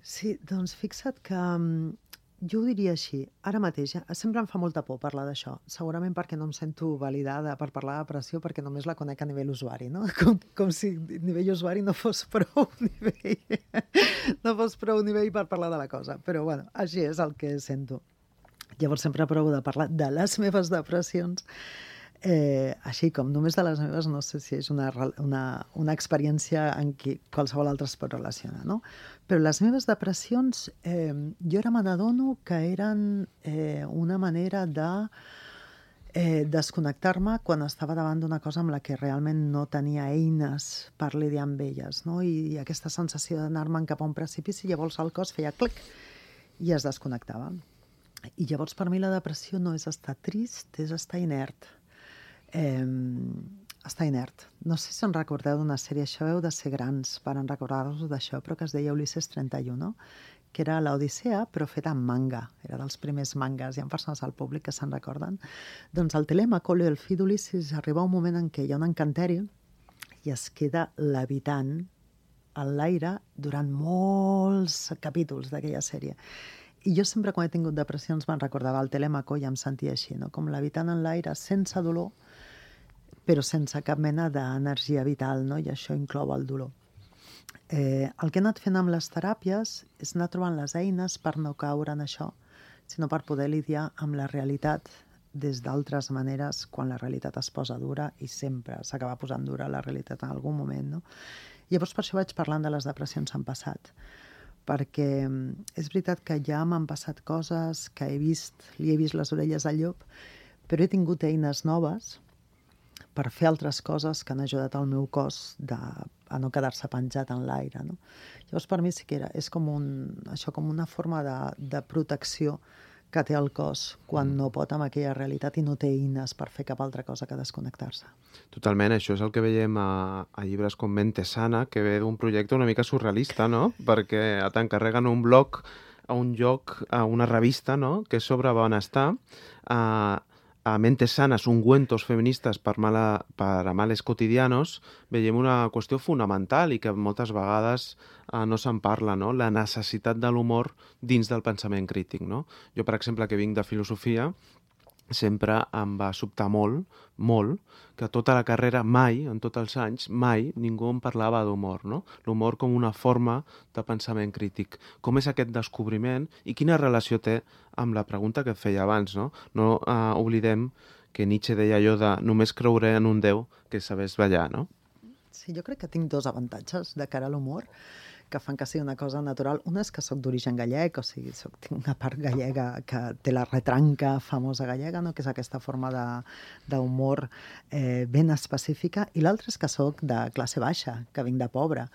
Sí, doncs fixa't que um, jo ho diria així. Ara mateix, eh, sempre em fa molta por parlar d'això. Segurament perquè no em sento validada per parlar de depressió, perquè només la conec a nivell usuari, no? Com, com si a nivell usuari no fos prou nivell, no fos prou nivell per parlar de la cosa. Però, bueno, així és el que sento. Llavors sempre provo de parlar de les meves depressions. Eh, així com només de les meves, no sé si és una, una, una experiència en què qualsevol altre es pot relacionar, no? Però les meves depressions, eh, jo ara me n'adono que eren eh, una manera de eh, desconnectar-me quan estava davant d'una cosa amb la que realment no tenia eines per lidiar amb elles, no? I, i aquesta sensació d'anar-me'n cap a un precipici, llavors el cos feia clic i es desconnectava. I llavors per mi la depressió no és estar trist, és estar inert. Eh, està inert. No sé si en recordeu d'una sèrie, això heu de ser grans per en recordar-vos d'això, però que es deia Ulisses trenta i u, no? Que era l'Odissea, però feta en manga. Era dels primers mangas. Hi ha persones al públic que se'n recorden. Doncs el Telèmaco, el fill d'Ulisses, arriba un moment en què hi ha un encanteri i es queda levitant en l'aire durant molts capítols d'aquella sèrie. I jo sempre, quan he tingut depressions, me'n recordava el Telèmaco i em sentia així, no? Com levitant en l'aire, sense dolor, però sense cap mena d'energia vital, no? I això inclou el dolor. Eh, el que he anat fent amb les teràpies és anar trobant les eines per no caure en això, sinó per poder lidiar amb la realitat des d'altres maneres quan la realitat es posa dura, i sempre s'acaba posant dura la realitat en algun moment, no? Llavors, per això vaig parlant de les depressions en passat, perquè és veritat que ja m'han passat coses, que he vist, li he vist les orelles al llop, però he tingut eines noves per fer altres coses que han ajudat al meu cos de, a no quedar-se penjat en l'aire, no? Llavors, per mi sí que era, és com, un, això, com una forma de, de protecció que té el cos quan no pot amb aquella realitat i no té eines per fer cap altra cosa que desconnectar-se. Totalment, això és el que veiem a, a llibres com Mente Sana, que ve d'un projecte una mica surrealista, no? Perquè t'encarreguen un blog a un lloc, a una revista, no? Que és sobre benestar, a a Mentes Sanas, ungüentos feministes per, mala, per a males quotidianos, veiem una qüestió fonamental i que moltes vegades eh, no se'n parla, no? La necessitat de l'humor dins del pensament crític, no? Jo, per exemple, que vinc de filosofia, sempre em va sobtar molt, molt, que tota la carrera mai, en tots els anys, mai ningú em parlava d'humor, no? L'humor com una forma de pensament crític. Com és aquest descobriment i quina relació té amb la pregunta que et feia abans, no? No eh, oblidem que Nietzsche deia allò de només creuré en un déu que sabés ballar, no? Sí, jo crec que tinc dos avantatges de cara a l'humor que fan que sigui una cosa natural. Una és que soc d'origen gallec, o sigui, soc, tinc una part gallega que té la retranca famosa gallega, no? Que és aquesta forma d'humor eh, ben específica, i l'altra és que soc de classe baixa, que vinc de pobre.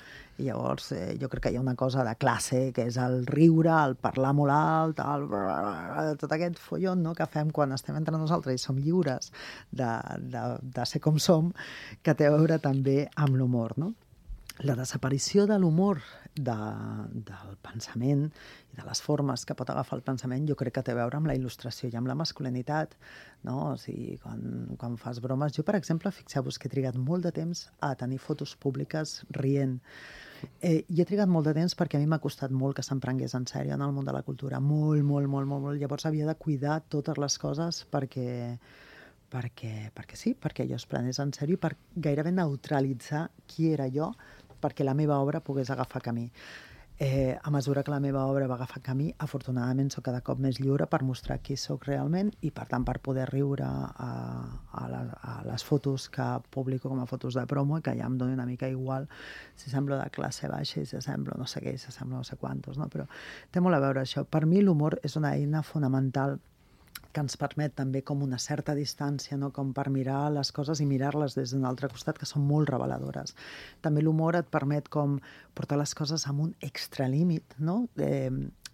I llavors eh, jo crec que hi ha una cosa de classe, que és el riure, el parlar molt alt, el... tot aquest follon, no? Que fem quan estem entre nosaltres i som lliures de, de, de ser com som, que té a veure també amb l'humor, no? La desaparició de l'humor de, del pensament i de les formes que pot agafar el pensament jo crec que té a veure amb la il·lustració i amb la masculinitat, no? O sigui, quan, quan fas bromes... Jo, per exemple, fixeu-vos que he trigat molt de temps a tenir fotos públiques rient. Eh, I he trigat molt de temps perquè a mi m'ha costat molt que se'm prengués en sèrio en el món de la cultura. Molt, molt, molt, molt, molt. Llavors havia de cuidar totes les coses perquè... Perquè, perquè sí, perquè jo es prenés en sèrio i per gairebé neutralitzar qui era jo perquè la meva obra pogués agafar camí. Eh, a mesura que la meva obra va agafar camí, afortunadament soc cada cop més lliure per mostrar qui sóc realment i, per tant, per poder riure a, a, la, a les fotos que publico com a fotos de promo i que ja em doni una mica igual si semblo de classe baixa i si semblo no sé què, si semblo no sé quantos, no? Però té molt a veure això. Per mi l'humor és una eina fonamental que ens permet també com una certa distància, no? Com per mirar les coses i mirar-les des d'un altre costat, que són molt reveladores. També l'humor et permet com portar les coses amb un extralímit, no? Eh,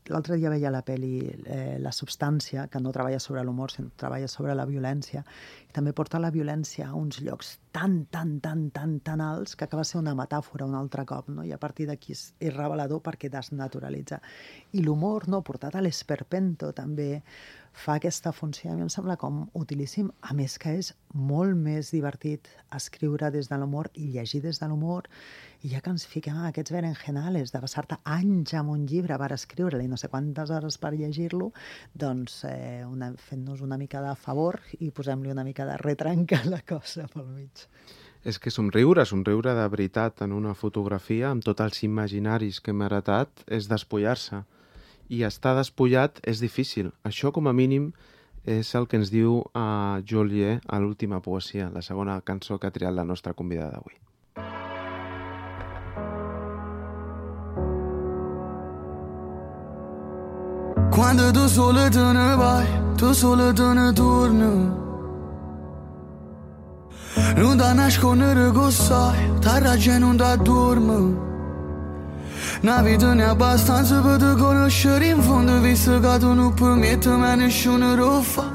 L'altre dia veia la pel·li eh, La substància, que no treballa sobre l'humor, sinó treballa sobre la violència, i també porta la violència a uns llocs tan, tan, tan, tan, tan alts que acaba ser una metàfora un altre cop, no? I a partir d'aquí és, és revelador perquè desnaturalitza. I l'humor, no, portat a l'esperpento, també fa aquesta funció, a mi em sembla com utilíssim, a més que és molt més divertit escriure des de l'humor i llegir des de l'humor, i ja que ens fiquem en aquests berenjenales de passar-te anys amb un llibre per escriure-li, no sé quantes hores per llegir-lo, doncs eh, una, fent-nos una mica de favor i posem-li una mica de retranca a la cosa pel mig. És que somriure, somriure de veritat en una fotografia amb tots els imaginaris que hem heretat és despullar-se. I estar despullat és difícil. Això, com a mínim, és el que ens diu uh, Joliet a l'última poesia, la segona cançó que ha triat la nostra convidada d'avui. Quando tu solo te ne vai, tu solo te ne torni, non da nascondere che sai, ta ragione non da dormi. Una vita ne abbastanza per te conoscere in fondo, visto che tu non permetti mai nessuno lo fa.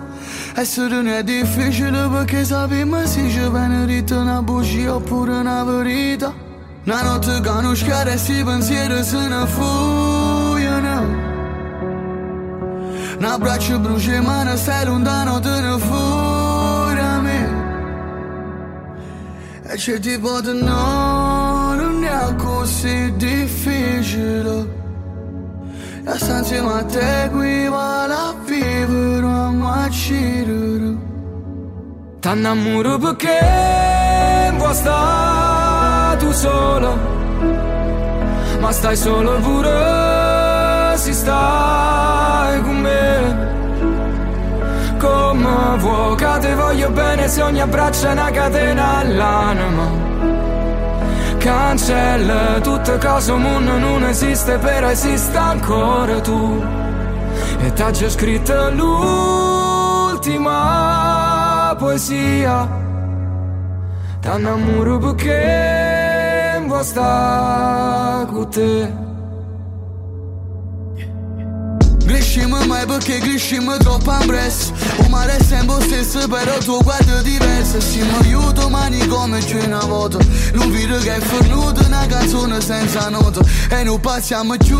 Essere non è difficile perché sappiamo se ci viene dritto una bugia oppure una verità. Una notte che non schiara e si pensieri se ne fuggono. Un abbraccio brucia ma non stai lontano, te ne fuori a me. E c'è tipo di no, non è così difficile. E sta insieme a te qui vale a vivere a macirere. T'annamoro perché vuoi stare tu solo, ma stai solo pure se stai con me. Come vuoi che te voglio bene se ogni abbraccio è una catena all'anima. Cancella tutte cose, un mondo non esiste, però esiste ancora tu. E t'ha già scritto l'ultima poesia. T'annamoro perché vuoi stare con te. Crescimo mai perché crescimo troppo ampresso. Un mare è sempre stesso però tuo guardo è diverso. Siamo io domani come c'è una volta. Non vedo che è fornuto una canzone senza nota. E non passiamo giù,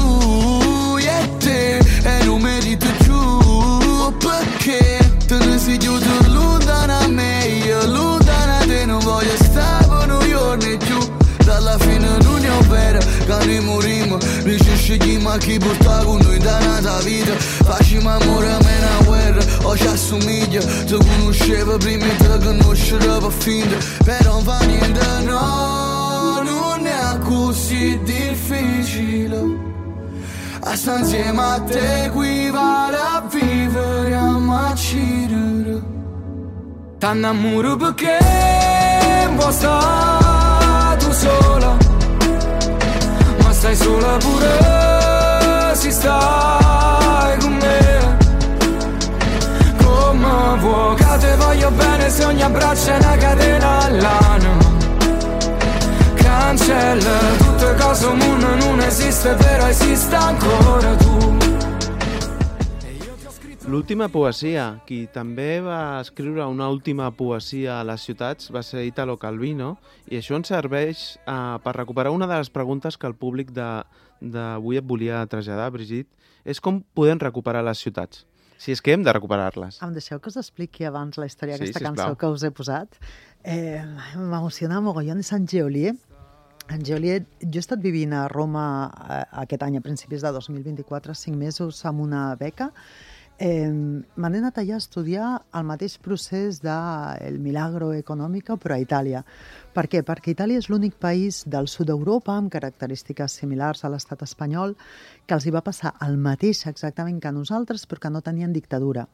io e te. E non merito giù perché te ne sei chiuso lontano a me. Io lontano a te non voglio stare per noi giorni giù. Dalla fine non è vero che noi morimmo. Noi ci scegliamo a chi porta con noi da nata vita. Facciamo amore a me una guerra o ci assomiglia. Ti conoscevo prima e te conoscerò per finta. Però non fa niente, no, non è così difficile. A sta insieme a te qui vale a vivere a macirere. T'annamoro perché vuoi stare tu sola, ma stai sola pure se stai con me. Come vuoi che te voglio bene se ogni abbraccio è una catena all'anima. Cancella tutte cose, un mondo non esiste, però esiste ancora tu. L'última poesia, qui també va escriure una última poesia a les ciutats, va ser Italo Calvino, i això ens serveix uh, per recuperar una de les preguntes que el públic d'avui et volia traslladar, Brigitte, és com podem recuperar les ciutats, si és que hem de recuperar-les. Em deixeu que us expliqui abans la història Sí, d'aquesta sisplau. cançó que us he posat. Eh, M'emociona mogollon, és en Geolier. En Geolier, jo he estat vivint a Roma eh, aquest any, a principis de dos mil vint-i-quatre, cinc mesos amb una beca. Eh, M'han anat allà a estudiar el mateix procés del milagro econòmico, però a Itàlia. Per què? Perquè Itàlia és l'únic país del sud d'Europa amb característiques similars a l'estat espanyol que els hi va passar el mateix exactament que a nosaltres, però que no tenien dictadura.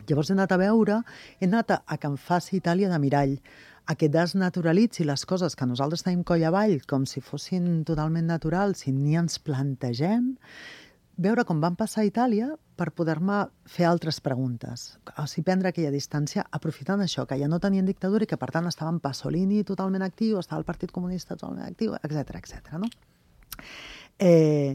Llavors he anat a veure, he anat a, a que em faci Itàlia de mirall, a que desnaturalitzi les coses que nosaltres tenim coll avall com si fossin totalment naturals i ni ens plantegem, veure com van passar a Itàlia per poder-me fer altres preguntes. O sigui, prendre aquella distància aprofitant això, que ja no tenien dictadura i que, per tant, estaven Pasolini totalment actiu, estava el Partit Comunista totalment actiu, etcètera, etcètera, no? Eh,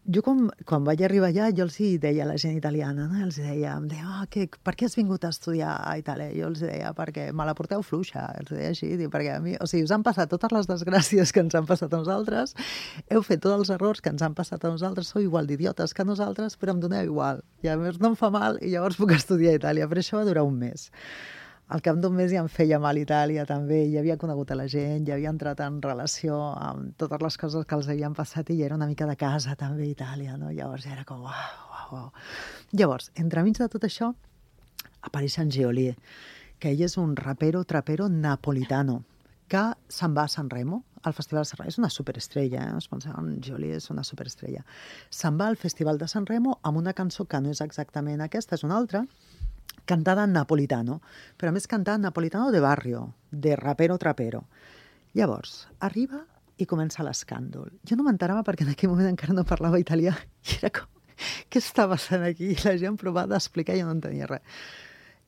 jo, quan, quan vaig arribar allà, jo els deia a la gent italiana, no? Els deia, em deia, oh, que, per què has vingut a estudiar a Itàlia? Jo els deia, perquè me la porteu fluixa, els deia així, perquè a mi, o sigui, us han passat totes les desgràcies que ens han passat a nosaltres, heu fet tots els errors que ens han passat a nosaltres, sou igual d'idiotes que nosaltres, però em doneu igual, i a més no em fa mal, i llavors puc estudiar a Itàlia, però això va durar un mes. Al cap d'un mes ja em feia mal Itàlia també, ja havia conegut a la gent, ja havia entrat en relació amb totes les coses que els havien passat i ja era una mica de casa també a Itàlia, no? Llavors ja era com uau, uau, uau. Llavors, entremig de tot això, apareix en Geolier, que ell és un rapero, trapero napolitano, que se'n va a Sanremo, al Festival de Sanremo. És una superestrella, eh? Es pensa en Geolier és una superestrella. Se'n va al Festival de Sanremo amb una cançó que no és exactament aquesta, és una altra, cantada en napolitano, però a més cantada en napolitano de barrio, de rapero-trapero. Llavors, arriba i comença l'escàndol. Jo no m'enterava perquè en aquell moment encara no parlava italià i era com, què està passant aquí? I la gent provava d'explicar i jo no entenia res.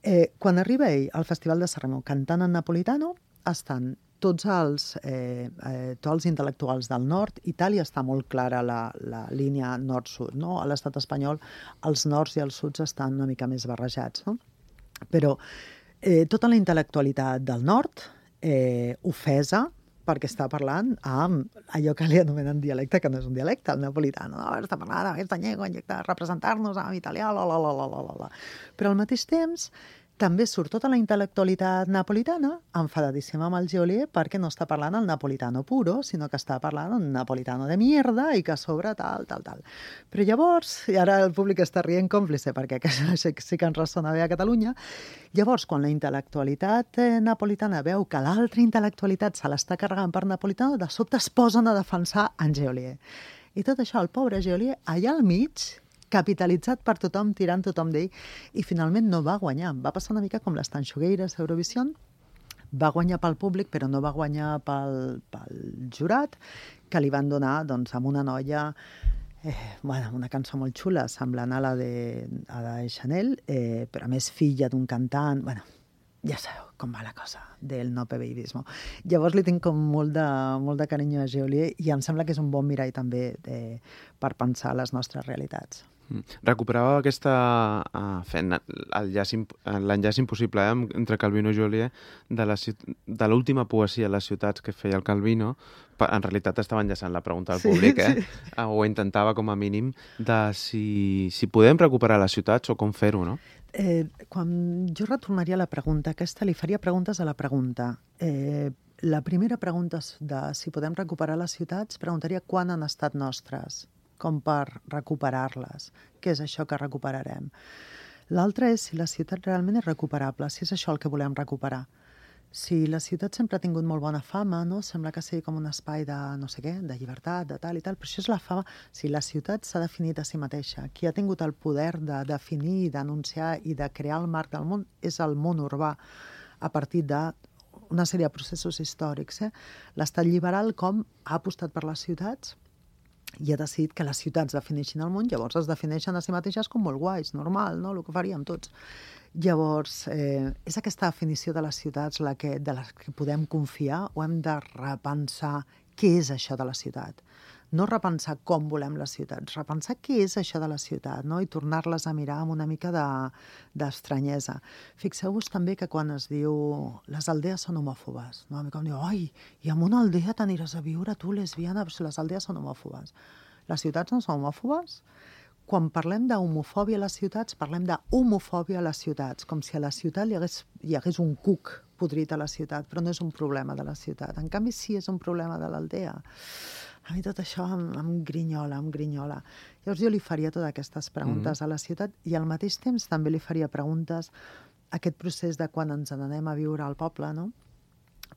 Eh, quan arriba ell al Festival de Sanremo cantant en napolitano, estan tots els, eh, eh, tots els intel·lectuals del nord, Itàlia està molt clara la, la línia nord-sud, no? A l'estat espanyol els nords i els suds estan una mica més barrejats, no? Però eh, tota la intel·lectualitat del nord, eh, ofesa, perquè està parlant amb allò que li anomenen dialecte, que no és un dialecte, el napolitano. No, està parlant amb aquesta llengua, de representar-nos amb italià, la, la, la, la, la, la. Però al mateix temps també surt tota la intel·lectualitat napolitana enfadadíssima amb el Geolier perquè no està parlant el napolitano puro, sinó que està parlant un napolitano de mierda i que a sobre tal, tal, tal. Però llavors, i ara el públic està rient còmplice perquè sí que ens ressona bé a Catalunya, llavors quan la intel·lectualitat napolitana veu que l'altra intel·lectualitat se l'està carregant per napolitano, de sobte es posen a defensar en Geolier. I tot això, el pobre Geolier, allà al mig, capitalitzat per tothom, tirant tothom d'ell, i finalment no va guanyar. Va passar una mica com les Tanxugueires d'Eurovisió, va guanyar pel públic, però no va guanyar pel, pel jurat, que li van donar doncs, amb una noia, eh, bueno, una cançó molt xula, semblant a la de, a la de Chanel, eh, però a més filla d'un cantant, bueno, ja sabeu com va la cosa del no pebeidismo. Llavors li tinc com molt de, molt de carinyo a Geolier i em sembla que és un bon mirall també eh, per pensar les nostres realitats. Recuperava aquesta uh, fent l'enllaç impossible eh, entre Calvino i Geolier de, la, de l'última poesia a les ciutats que feia el Calvino. En realitat estava enllaçant la pregunta al públic, eh? Sí. O intentava com a mínim de si, si podem recuperar les ciutats o com fer-ho, no? Eh, quan jo retornaria a la pregunta, aquesta li faria preguntes a la pregunta. Eh, la primera pregunta de si podem recuperar les ciutats, preguntaria quan han estat nostres, com per recuperar-les. Què és això que recuperarem? L'altre és si la ciutat realment és recuperable, si és això el que volem recuperar. Si la ciutat sempre ha tingut molt bona fama, no? Sembla que sigui com un espai de no sé què, de llibertat, de tal i tal, però això és la fama. Si la ciutat s'ha definit a si mateixa, qui ha tingut el poder de definir, d'anunciar i de crear el marc del món és el món urbà a partir d'una sèrie de processos històrics. Eh? L'estat liberal com ha apostat per les ciutats i ha decidit que les ciutats defineixin el món, llavors es defineixen a si mateixes com molt guais, normal, no? El que faríem tots. Llavors, eh, és aquesta definició de les ciutats la que, de les que podem confiar o hem de repensar què és això de la ciutat? No repensar com volem les ciutats, repensar què és això de la ciutat, no? I tornar-les a mirar amb una mica d'estranyesa. De, Fixeu-vos també que quan es diu les aldees són homòfobes, no? A mi com diu, ai, i en una aldea t'aniràs a viure tu, lesbiana, les aldees són homòfobes. Les ciutats no són homòfobes? Quan parlem d'homofòbia a les ciutats, parlem d'homofòbia a les ciutats, com si a la ciutat hi hagués, hi hagués un cuc podrit a la ciutat, però no és un problema de la ciutat. En canvi, sí és un problema de l'aldea. A mi tot això em, em grinyola, em grinyola. Llavors jo li faria totes aquestes preguntes mm-hmm. a la ciutat i al mateix temps també li faria preguntes a aquest procés de quan ens n'anem a viure al poble, no?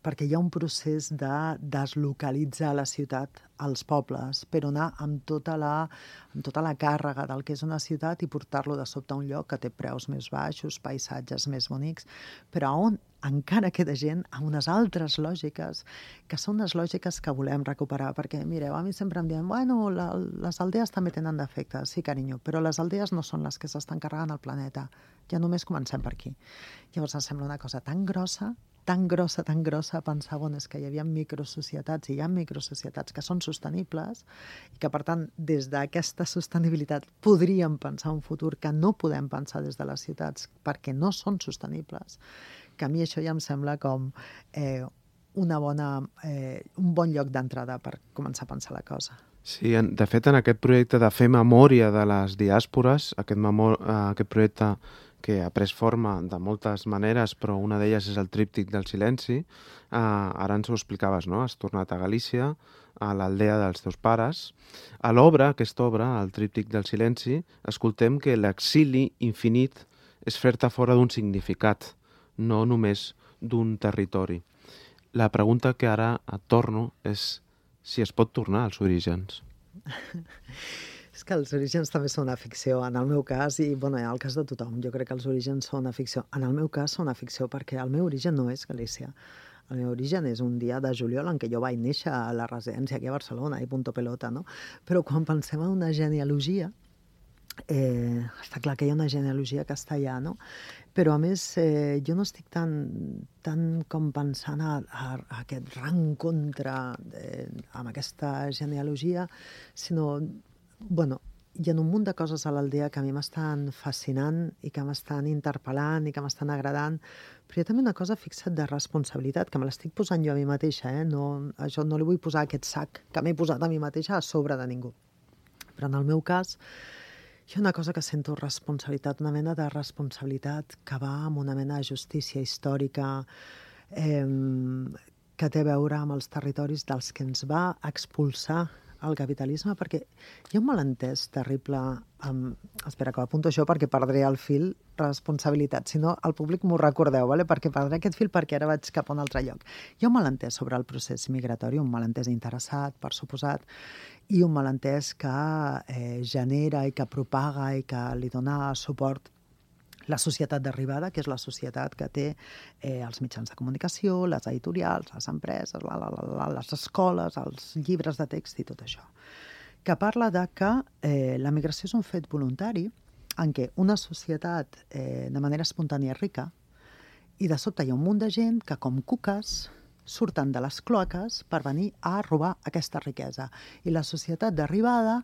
Perquè hi ha un procés de deslocalitzar la ciutat als pobles, però anar amb tota la, amb tota la càrrega del que és una ciutat i portar-lo de sobte a un lloc que té preus més baixos, paisatges més bonics, però on encara queda gent amb unes altres lògiques, que són les lògiques que volem recuperar, perquè, mireu, a mi sempre em diuen, bueno, la, les aldees també tenen defectes, sí, carinyo, però les aldees no són les que s'estan carregant el planeta, ja només comencem per aquí. Llavors em sembla una cosa tan grossa, tan grossa, tan grossa, pensar, bueno, és que hi havia microsocietats i hi ha microsocietats que són sostenibles i que, per tant, des d'aquesta sostenibilitat podríem pensar un futur que no podem pensar des de les ciutats perquè no són sostenibles, que a mi això ja em sembla com eh, una bona, eh, un bon lloc d'entrada per començar a pensar la cosa. Sí, de fet, en aquest projecte de fer memòria de les diàspores, aquest, memor aquest projecte que ha pres forma de moltes maneres, però una d'elles és el tríptic del silenci. Uh, ara ens ho explicaves, no? Has tornat a Galícia, a l'aldea dels teus pares. A l'obra, aquesta obra, el tríptic del silenci, escoltem que l'exili infinit és fer-te fora d'un significat, no només d'un territori. La pregunta que ara et torno és si es pot tornar als orígens. És que els orígens també són una ficció, en el meu cas, i bueno, en el cas de tothom, jo crec que els orígens són una ficció. En el meu cas són una ficció perquè el meu origen no és Galícia. El meu origen és un dia de juliol en què jo vaig néixer a la residència aquí a Barcelona, i punto pelota, no? Però quan pensem en una genealogia, Eh, està clar que hi ha una genealogia que està allà, no? Però, a més, eh, jo no estic tan, tan com pensant a, a, a aquest reencontre eh, amb aquesta genealogia, sinó, bueno, hi ha un munt de coses a l'aldea que a mi m'estan fascinant i que m'estan interpel·lant i que m'estan agradant, però hi ha també una cosa, fixa't, de responsabilitat, que me l'estic posant jo a mi mateixa, eh? No, això no li vull posar aquest sac que m'he posat a mi mateixa a sobre de ningú. Però en el meu cas, hi ha una cosa que sento responsabilitat, una mena de responsabilitat que va amb una mena de justícia històrica eh, que té a veure amb els territoris dels que ens va expulsar el capitalisme, perquè hi ha un malentès terrible amb... Espera, que ho apunto això perquè perdré el fil, responsabilitat. Si no, el públic m'ho recordeu, vale? Perquè perdré aquest fil perquè ara vaig cap a un altre lloc. Hi ha un malentès sobre el procés migratori, un malentès interessat, per suposat, i un malentès que eh, genera i que propaga i que li dona suport la societat d'arribada, que és la societat que té eh, els mitjans de comunicació, les editorials, les empreses, la, la, la, les escoles, els llibres de text i tot això, que parla de que eh, la migració és un fet voluntari en què una societat eh, de manera espontània és rica i de sobte hi ha un munt de gent que, com cuques, surten de les cloaques per venir a robar aquesta riquesa. I la societat d'arribada,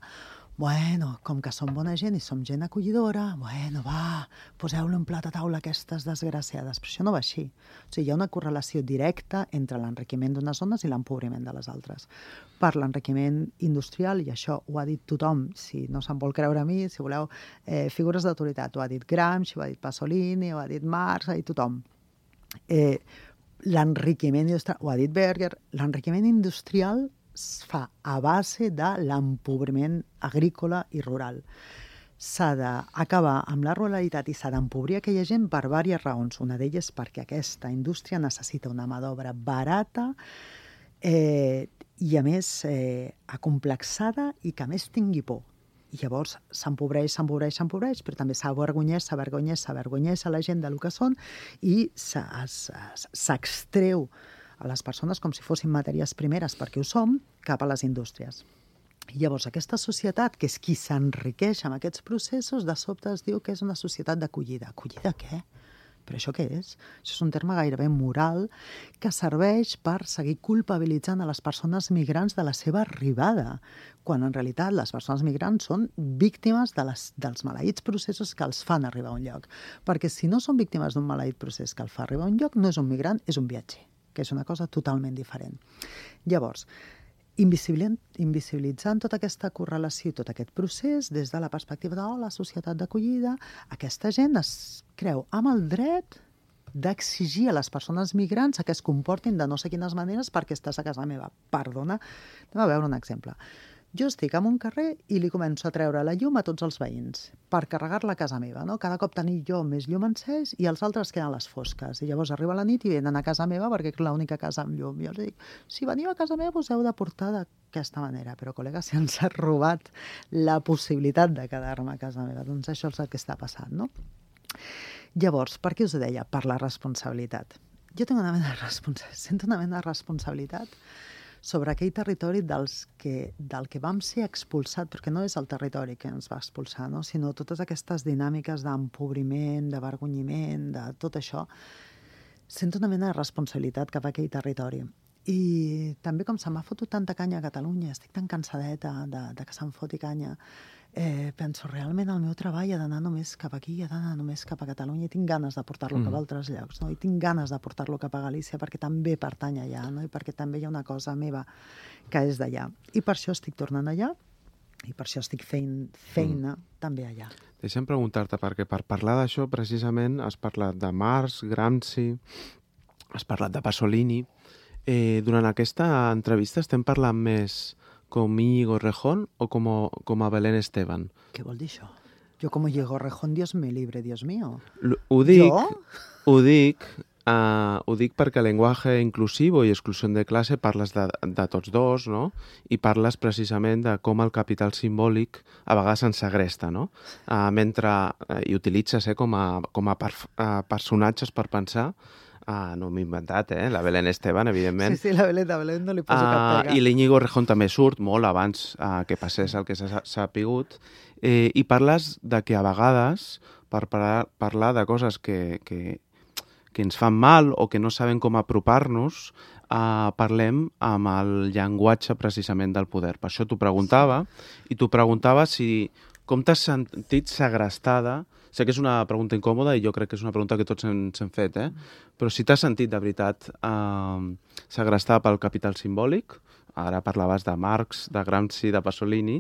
bueno, com que som bona gent i som gent acollidora, bueno, va, poseu-lo en plat a taula aquestes desgraciades. Però això no va així. O sigui, hi ha una correlació directa entre l'enriquiment d'unes zones i l'empobriment de les altres. Per l'enriquiment industrial, i això ho ha dit tothom, si no se'n vol creure a mi, si voleu, eh, figures d'autoritat, ho ha dit Gramsci, ho ha dit Pasolini, ho ha dit Marx, ho ha dit tothom. Eh, l'enriquiment industrial, ho ha dit Berger, l'enriquiment industrial es fa a base de l'empobriment agrícola i rural. S'ha d'acabar amb la ruralitat i s'ha d'empobrir aquella gent per diverses raons. Una d'elles perquè aquesta indústria necessita una mà d'obra barata eh, i, a més, eh, acomplexada i que a més tingui por. I llavors s'empobreix, s'empobreix, s'empobreix, però també s'avergonyeix, s'avergonyeix, s'avergonyeix a la gent del que són i s'extreu a les persones com si fossin matèries primeres, perquè ho som, cap a les indústries. I llavors aquesta societat, que és qui s'enriqueix amb aquests processos, de sobte es diu que és una societat d'acollida. Acollida què? Però això què és? Això és un terme gairebé moral que serveix per seguir culpabilitzant a les persones migrants de la seva arribada, quan en realitat les persones migrants són víctimes de les, dels maleïts processos que els fan arribar a un lloc. Perquè si no són víctimes d'un maleït procés que el fa arribar a un lloc, no és un migrant, és un viatger, que és una cosa totalment diferent. Llavors, invisibilitzant tota aquesta correlació i tot aquest procés des de la perspectiva de oh, la societat d'acollida, aquesta gent es creu amb el dret d'exigir a les persones migrants que es comportin de no sé quines maneres perquè estàs a casa meva. Perdona, anem a veure un exemple. Jo estic en un carrer i li començo a treure la llum a tots els veïns per carregar-la a casa meva, no? Cada cop tenir jo més llum encès i els altres queden a les fosques. I llavors arriba la nit i venen a casa meva perquè és l'única casa amb llum. I els dic, si veniu a casa meva us heu de portar d'aquesta manera. Però, col·lega, si ens ha robat la possibilitat de quedar-me a casa meva, doncs això és el que està passant, no? Llavors, per què us ho deia? Per la responsabilitat. Jo tinc una mena de responsabilitat, sento una mena de responsabilitat sobre aquell territori dels que, del que vam ser expulsats, perquè no és el territori que ens va expulsar, no? Sinó totes aquestes dinàmiques d'empobriment, d'avergonyiment, de tot això. Sento una mena de responsabilitat cap a aquell territori. I també com se m'ha fotut tanta canya a Catalunya, estic tan cansadeta de, de que se'm foti canya, eh, penso, realment el meu treball ha d'anar només cap aquí, ha d'anar només cap a Catalunya, i tinc ganes de portar-lo mm. cap a altres llocs, no? I tinc ganes de portar-lo cap a Galícia perquè també pertany allà, no? I perquè també hi ha una cosa meva que és d'allà. I per això estic tornant allà i per això estic fent feina mm. també allà. Deixa'm preguntar-te, perquè per parlar d'això precisament has parlat de Marx, Gramsci, has parlat de Pasolini. Eh, durant aquesta entrevista estem parlant més com Íñigo Errejón o com a, com a Belén Esteban? Què vol dir això? Jo com Íñigo Errejón, Dios me libre, Dios mío. L ho dic, jo? Ho dic, uh, ho dic perquè llenguatge inclusivo i exclusió de classe parles de, de tots dos, no? I parles precisament de com el capital simbòlic a vegades ens segresta, no? Uh, mentre, uh, i utilitzes eh, com a, com a per, uh, personatges per pensar Ah, no m'he inventat, eh? La Belén Esteban, evidentment. Sí, sí, la Belén, la Belén no li poso uh, cap pega. I l'Iñigo Errejón també surt molt abans uh, que passés el que s'ha sapigut. Eh, I parles de que a vegades, per parlar, parlar de coses que, que, que ens fan mal o que no sabem com apropar-nos, uh, parlem amb el llenguatge precisament del poder. Per això t'ho preguntava, i t'ho preguntava si com t'has sentit segrestada. Sé que és una pregunta incòmoda i jo crec que és una pregunta que tots ens hem fet, eh? Però si t'has sentit de veritat eh, segrestada pel capital simbòlic, ara parlaves de Marx, de Gramsci, de Pasolini,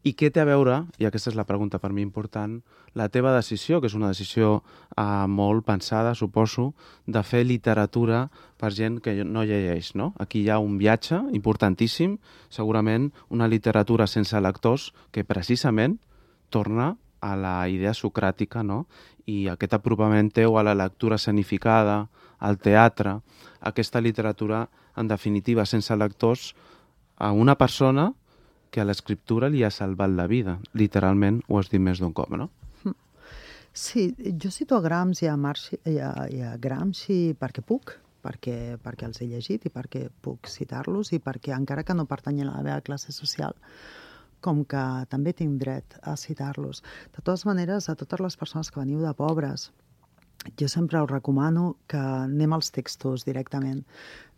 i què té a veure, i aquesta és la pregunta per mi important, la teva decisió, que és una decisió eh, molt pensada, suposo, de fer literatura per gent que no llegeix, no? Aquí hi ha un viatge importantíssim, segurament una literatura sense lectors que precisament torna a la idea socràtica, no? I aquest apropament teu a la lectura escenificada, al teatre, aquesta literatura, en definitiva, sense lectors, a una persona que a l'escriptura li ha salvat la vida. Literalment, ho has dit més d'un cop, no? Sí, jo cito a Gramsci i a, Marci, i a, i a Gramsci perquè puc, perquè, perquè els he llegit i perquè puc citar-los i perquè, encara que no pertanyen a la meva classe social, com que també tinc dret a citar-los. De totes maneres, a totes les persones que veniu de pobres, jo sempre us recomano que anem als textos directament,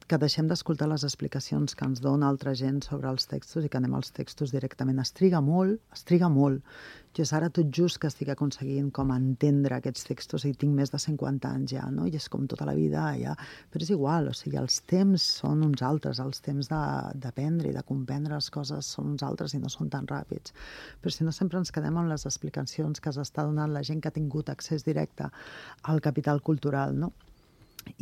que deixem d'escoltar les explicacions que ens dona altra gent sobre els textos i que anem als textos directament. Es triga molt, es triga molt. Jo és ara tot just que estic aconseguint com entendre aquests textos i tinc més de cinquanta anys ja, no? I és com tota la vida ja. Però és igual, o sigui, els temps són uns altres, els temps d'aprendre i de comprendre les coses són uns altres i no són tan ràpids. Però si no, sempre ens quedem amb les explicacions que s'està donant la gent que ha tingut accés directe al capital cultural, no?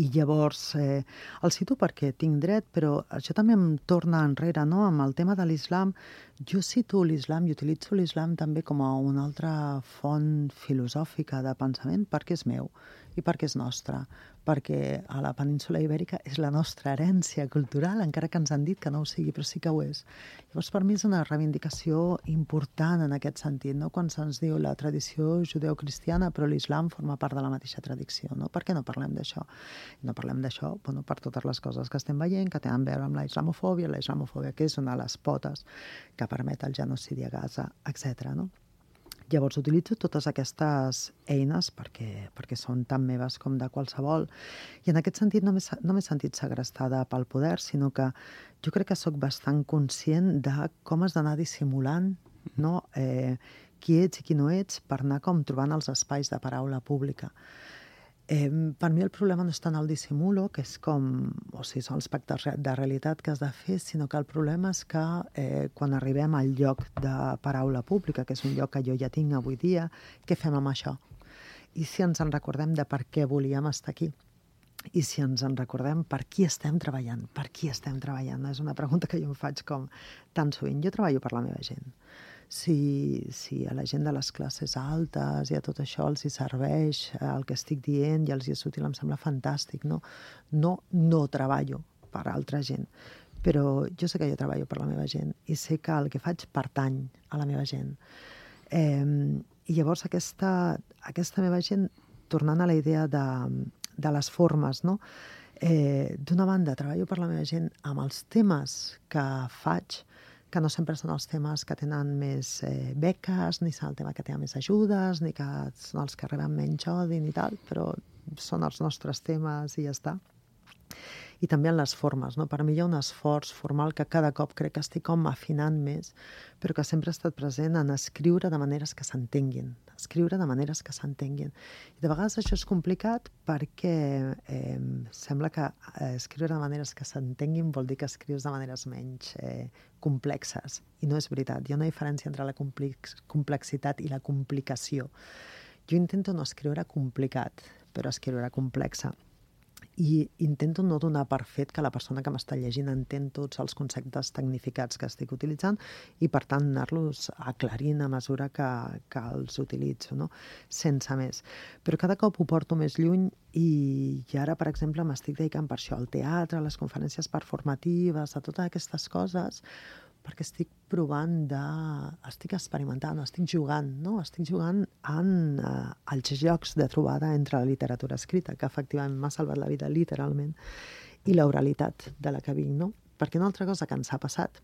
I llavors, eh, el cito perquè tinc dret, però això també em torna enrere, no? Amb el tema de l'islam, jo cito l'islam i utilitzo l'islam també com a una altra font filosòfica de pensament perquè és meu i perquè és nostre, perquè a la península ibèrica és la nostra herència cultural, encara que ens han dit que no ho sigui, però sí que ho és. Llavors, per mi és una reivindicació important en aquest sentit, no? Quan se'ns diu la tradició judeocristiana, però l'islam forma part de la mateixa tradició, no? Per què no parlem d'això? No parlem d'això, bueno, per totes les coses que estem veient, que tenen a veure amb la islamofòbia, la islamofòbia que és una de les potes que permet el genocidi a Gaza, etcètera, no? Llavors utilitzo totes aquestes eines perquè, perquè són tan meves com de qualsevol. I en aquest sentit no m'he no m'he sentit segrestada pel poder, sinó que jo crec que sóc bastant conscient de com has d'anar dissimulant, no? eh, qui ets i qui no ets per anar com trobant els espais de paraula pública. Eh, per mi el problema no és tant el dissimulo, que és com, o sigui, són els pactes de realitat que has de fer, sinó que el problema és que eh, quan arribem al lloc de paraula pública, que és un lloc que jo ja tinc avui dia, què fem amb això? I si ens en recordem de per què volíem estar aquí? I si ens en recordem per qui estem treballant? Per qui estem treballant? És una pregunta que jo em faig com tan sovint. Jo treballo per la meva gent. Si, si a la gent de les classes altes i a tot això els hi serveix el que estic dient i els hi és útil, em sembla fantàstic, no? No, no treballo per altra gent, però jo sé que jo treballo per la meva gent i sé que el que faig pertany a la meva gent. Eh, I llavors aquesta, aquesta meva gent, tornant a la idea de, de les formes, no? Eh, d'una banda, treballo per la meva gent amb els temes que faig, que no sempre són els temes que tenen més eh, beques, ni són el tema que té més ajudes, ni que són els que reben menys odi, ni tal, però són els nostres temes i ja està. I també en les formes, no? Per mi hi ha un esforç formal que cada cop crec que estic com afinant més, però que sempre ha estat present en escriure de maneres que s'entenguin, escriure de maneres que s'entenguin. I de vegades això és complicat perquè eh, sembla que eh, escriure de maneres que s'entenguin vol dir que escrius de maneres menys eh, complexes. I no és veritat. Hi ha una diferència entre la complex, complexitat i la complicació. Jo intento no escriure complicat, però escriure complexa. I intento no donar per fet que la persona que m'està llegint entén tots els conceptes tecnificats que estic utilitzant i, per tant, anar-los aclarint a mesura que, que els utilitzo, no? Sense més. Però cada cop ho porto més lluny i, i ara, per exemple, m'estic dedicant per això al teatre, a les conferències performatives, a totes aquestes coses, perquè estic provant de... estic experimentant, estic jugant, no? Estic jugant en uh, els jocs de trobada entre la literatura escrita, que efectivament m'ha salvat la vida, literalment, i l'oralitat de la que vinc, no? Perquè una altra cosa que ens ha passat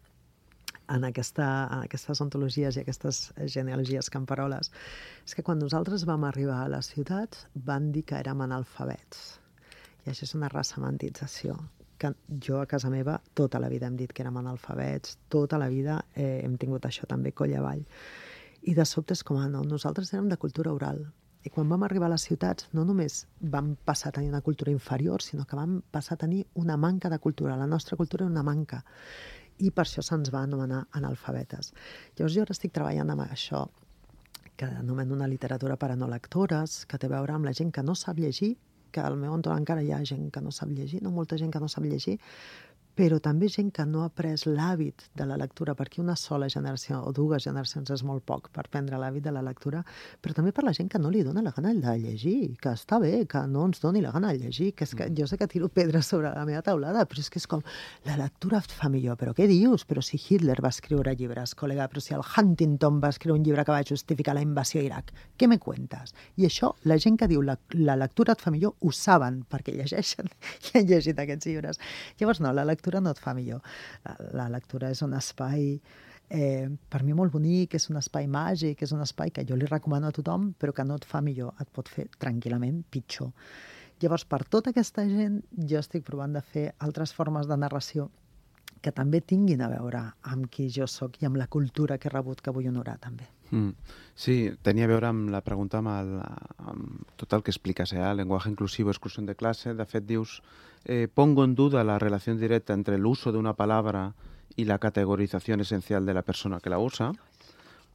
en, aquesta, en aquestes ontologies i aquestes genealogies camperoles és que quan nosaltres vam arribar a les ciutats van dir que érem analfabets. I això és una ressemantització que jo a casa meva tota la vida hem dit que érem analfabets, tota la vida eh, hem tingut això també coll avall. I de sobte és com, ah, no, nosaltres érem de cultura oral. I quan vam arribar a les ciutats no només vam passar a tenir una cultura inferior, sinó que vam passar a tenir una manca de cultura. La nostra cultura era una manca. I per això se'ns va anomenar analfabetes. Llavors jo ara estic treballant amb això, que anomeno una literatura per a no lectores, que té a veure amb la gent que no sap llegir, que al meu entorn encara hi ha gent que no sap llegir, no molta gent que no sap llegir, però també gent que no ha pres l'hàbit de la lectura, perquè una sola generació o dues generacions és molt poc per prendre l'hàbit de la lectura, però també per la gent que no li dona la gana de llegir, que està bé, que no ens doni la gana de llegir, que és que jo sé que tiro pedres sobre la meva taulada, però és que és com, la lectura et fa millor, però què dius? Però si Hitler va escriure llibres, col·lega, però si el Huntington va escriure un llibre que va justificar la invasió a Iraq, què me cuentes? I això, la gent que diu la, la lectura et fa millor, ho saben, perquè llegeixen i han llegit aquests llibres. Llavors, no, la lectura no et fa millor. La, la lectura és un espai, eh, per mi molt bonic, és un espai màgic, és un espai que jo li recomano a tothom, però que no et fa millor, et pot fer tranquil·lament pitjor. Llavors, per tota aquesta gent, jo estic provant de fer altres formes de narració que també tinguin a veure amb qui jo sóc i amb la cultura que he rebut, que vull honorar també. Mm. Sí, tenia a veure amb la pregunta amb, el, amb tot el que expliques, eh? Lenguaje inclusivo, exclusión de clase. De fet, dius, eh, pongo en duda la relación directa entre el uso de una palabra y la categorización esencial de la persona que la usa.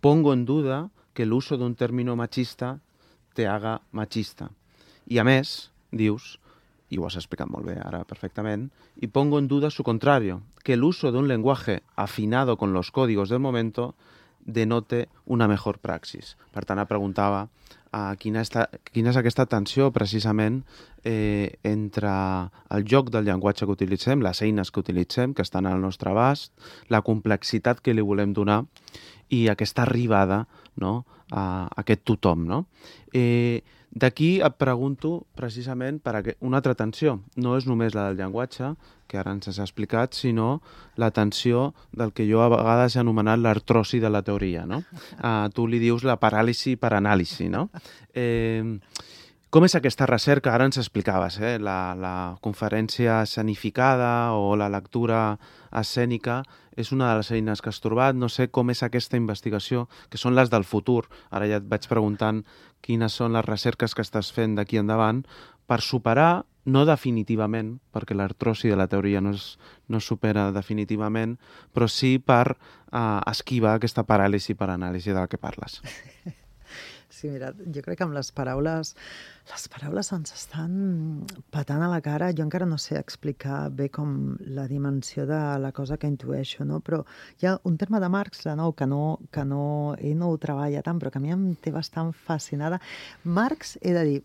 Pongo en duda que el uso de un término machista te haga machista. I a més, dius, i ho has explicat molt bé ara perfectament, y pongo en duda su contrario, que el uso de un lenguaje afinado con los códigos del momento denote una mejor praxis. Per tant, em preguntava uh, quina, esta, quina és aquesta tensió precisament eh, entre el joc del llenguatge que utilitzem, les eines que utilitzem, que estan al nostre abast, la complexitat que li volem donar i aquesta arribada, no?, a aquest tothom, no? Eh, D'aquí et pregunto precisament per una altra tensió. No és només la del llenguatge, que ara ens has explicat, sinó la tensió del que jo a vegades he anomenat l'artrosi de la teoria, no? Uh, tu li dius la paràlisi per anàlisi, no? Eh, com és aquesta recerca? Ara ens explicaves, eh? La, la conferència escenificada o la lectura escènica és una de les eines que has trobat. No sé com és aquesta investigació, que són les del futur. Ara ja et vaig preguntant quines són les recerques que estàs fent d'aquí endavant per superar, no definitivament, perquè l'artrosi de la teoria no es, no es supera definitivament, però sí per uh, esquivar aquesta paràlisi per anàlisi de la que parles. Sí, mira, jo crec que amb les paraules, les paraules ens estan patant a la cara. Jo encara no sé explicar bé com la dimensió de la cosa que intueixo, no? Però hi ha un terme de Marx, de nou, que no, que no, ell no ho treballa tant, però que a mi em té bastant fascinada. Marx, he de dir,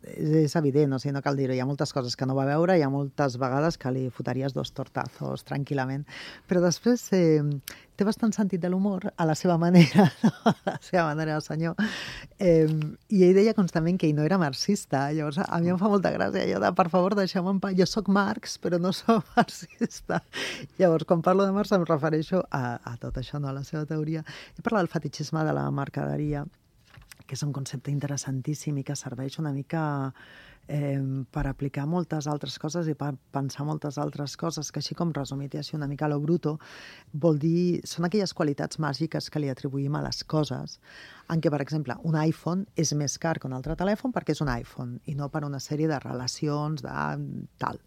és evident, o sigui, no cal dir-ho, hi ha moltes coses que no va veure, hi ha moltes vegades que li fotaries dos tortazos tranquil·lament, però després eh, té bastant sentit de l'humor a la seva manera, no? A la seva manera, el senyor. Eh, I ell deia constantment que ell no era marxista, llavors a mi em fa molta gràcia allò de, per favor, deixeu-me en pau, jo sóc Marx, però no sóc marxista. Llavors, quan parlo de Marx em refereixo a, a tot això, no? A la seva teoria. He parlat del fetichisme de la mercaderia, que és un concepte interessantíssim i que serveix una mica eh, per aplicar moltes altres coses i per pensar moltes altres coses, que així com resumit i així una mica a lo bruto, vol dir, són aquelles qualitats màgiques que li atribuïm a les coses, en què, per exemple, un iPhone és més car que un altre telèfon perquè és un iPhone i no per una sèrie de relacions de tal,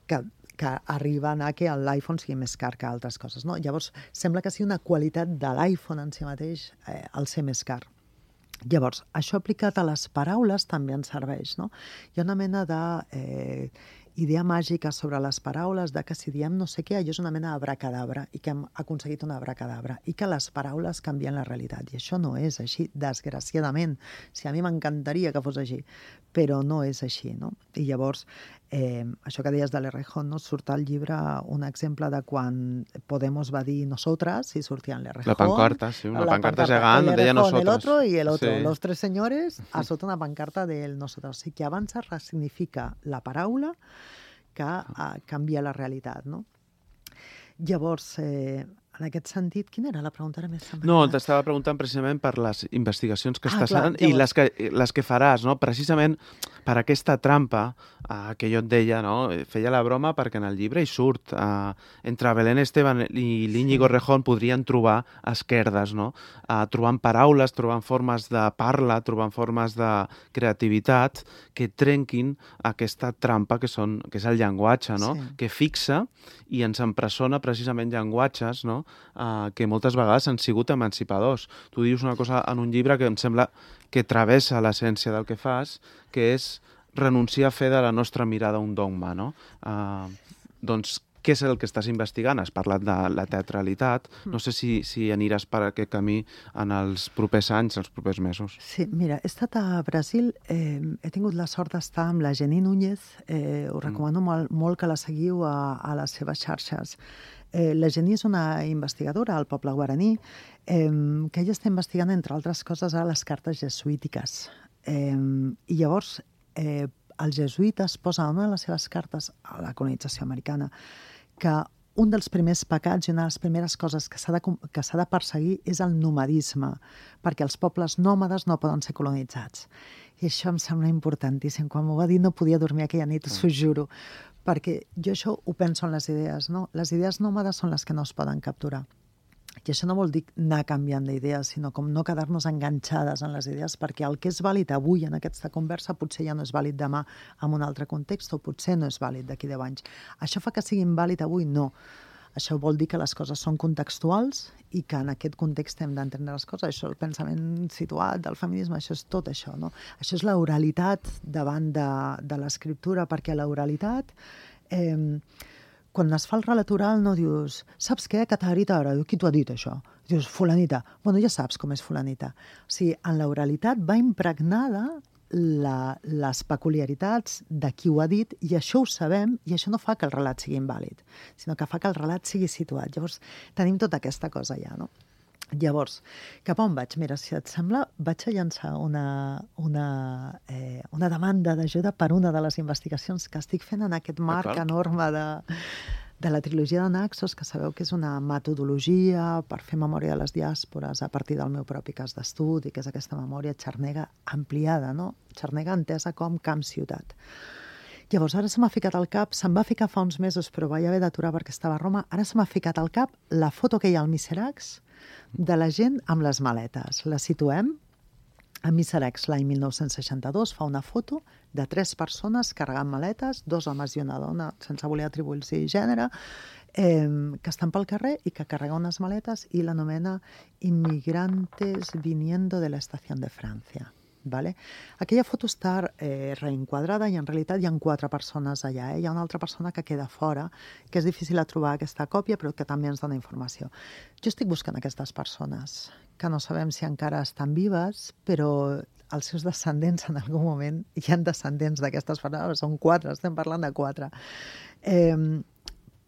que que arriben a que l'iPhone sigui més car que altres coses, no? Llavors, sembla que sigui una qualitat de l'iPhone en si mateix eh, el ser més car. Llavors, això aplicat a les paraules també ens serveix, no? Hi ha una mena de eh, idea màgica sobre les paraules, de que si diem no sé què, allò és una mena d'abracadabra i que hem aconseguit una abracadabra i que les paraules canvien la realitat. I això no és així, desgraciadament. Si a mi m'encantaria que fos així, però no és així, no? I llavors, Eh, això que deies de l'Errejón, no? Surt al llibre un exemple de quan Podemos va dir nosotras i sortien l'Errejón. La pancarta, sí, una pancarta gegant, deia nosotros. El otro y el otro. Sí. Los tres señores a sota una pancarta del nosotros. O sigui que abans es resignifica la paraula que uh, canvia la realitat, no? Llavors, eh, en aquest sentit, quina era la pregunta? Ara més no, t'estava preguntant precisament per les investigacions que ah, estàs clar, fent i les que, les que faràs, no? Precisament per aquesta trampa eh, que jo et deia, no? Feia la broma perquè en el llibre hi surt. Eh, entre Belén Esteban i l'Íñigo sí. Rejón podrien trobar esquerdes, no? Eh, trobant paraules, trobant formes de parla, trobant formes de creativitat que trenquin aquesta trampa que, són, que és el llenguatge, no? Sí. Que fixa i ens empresona precisament llenguatges, no? Uh, que moltes vegades han sigut emancipadors. Tu dius una cosa en un llibre que em sembla que travessa l'essència del que fas, que és renunciar a fer de la nostra mirada un dogma, no? Uh, doncs, què és el que estàs investigant? Has parlat de la teatralitat. No sé si, si aniràs per aquest camí en els propers anys, els propers mesos. Sí, mira, he estat a Brasil, eh, he tingut la sort d'estar amb la Jenny Núñez, eh, us recomano mm. molt, molt que la seguiu a, a les seves xarxes. Eh, la Jenny és una investigadora al poble guaraní eh, que ella està investigant, entre altres coses, a les cartes jesuítiques. Eh, I llavors, eh, els jesuïtes posen en una de les seves cartes a la colonització americana que un dels primers pecats i una de les primeres coses que s'ha de, que s'ha de perseguir és el nomadisme, perquè els pobles nòmades no poden ser colonitzats. I això em sembla importantíssim. Quan m'ho va dir no podia dormir aquella nit, us ho juro, perquè jo això ho penso en les idees, no? Les idees nòmades són les que no es poden capturar. I això no vol dir anar canviant d'idees, sinó com no quedar-nos enganxades en les idees, perquè el que és vàlid avui en aquesta conversa potser ja no és vàlid demà en un altre context, o potser no és vàlid d'aquí deu anys. Això fa que siguin vàlid avui? No. Això vol dir que les coses són contextuals i que en aquest context hem d'entendre les coses. Això, el pensament situat del feminisme, això és tot això, no? Això és l'oralitat davant de, de l'escriptura, perquè l'oralitat... Eh, quan es fa el relat oral no dius, saps què, Catarita, ara? Qui t'ho ha dit, això? Dius, fulanita. Bueno, ja saps com és fulanita. O sigui, en l'oralitat va impregnada la, les peculiaritats de qui ho ha dit, i això ho sabem, i això no fa que el relat sigui invàlid, sinó que fa que el relat sigui situat. Llavors, tenim tota aquesta cosa ja, no? Llavors, cap on vaig? Mira, si et sembla, vaig a llançar una, una, eh, una demanda d'ajuda per una de les investigacions que estic fent en aquest marc enorme de, de la trilogia de Naxos, que sabeu que és una metodologia per fer memòria de les diàspores a partir del meu propi cas d'estudi, que és aquesta memòria xarnega ampliada, no? Xarnega entesa com camp-ciutat. Llavors, ara se m'ha ficat al cap, se'm va ficar fa uns mesos, però vaig haver d'aturar perquè estava a Roma, ara se m'ha ficat al cap la foto que hi ha al Miseracs de la gent amb les maletes. La situem a Miseracs l'any mil nou-cents seixanta-dos, fa una foto de tres persones carregant maletes, dos homes i una dona, sense voler atribuir-s'hi gènere, eh, que estan pel carrer i que carreguen unes maletes i l'anomena Inmigrantes viniendo de la estació de França. Vale? Aquella foto està eh, reenquadrada i en realitat hi ha quatre persones allà. Eh? Hi ha una altra persona que queda fora, que és difícil de trobar aquesta còpia, però que també ens dona informació. Jo estic buscant aquestes persones, que no sabem si encara estan vives, però els seus descendents en algun moment, hi ha descendents d'aquestes persones, són quatre, estem parlant de quatre. Eh,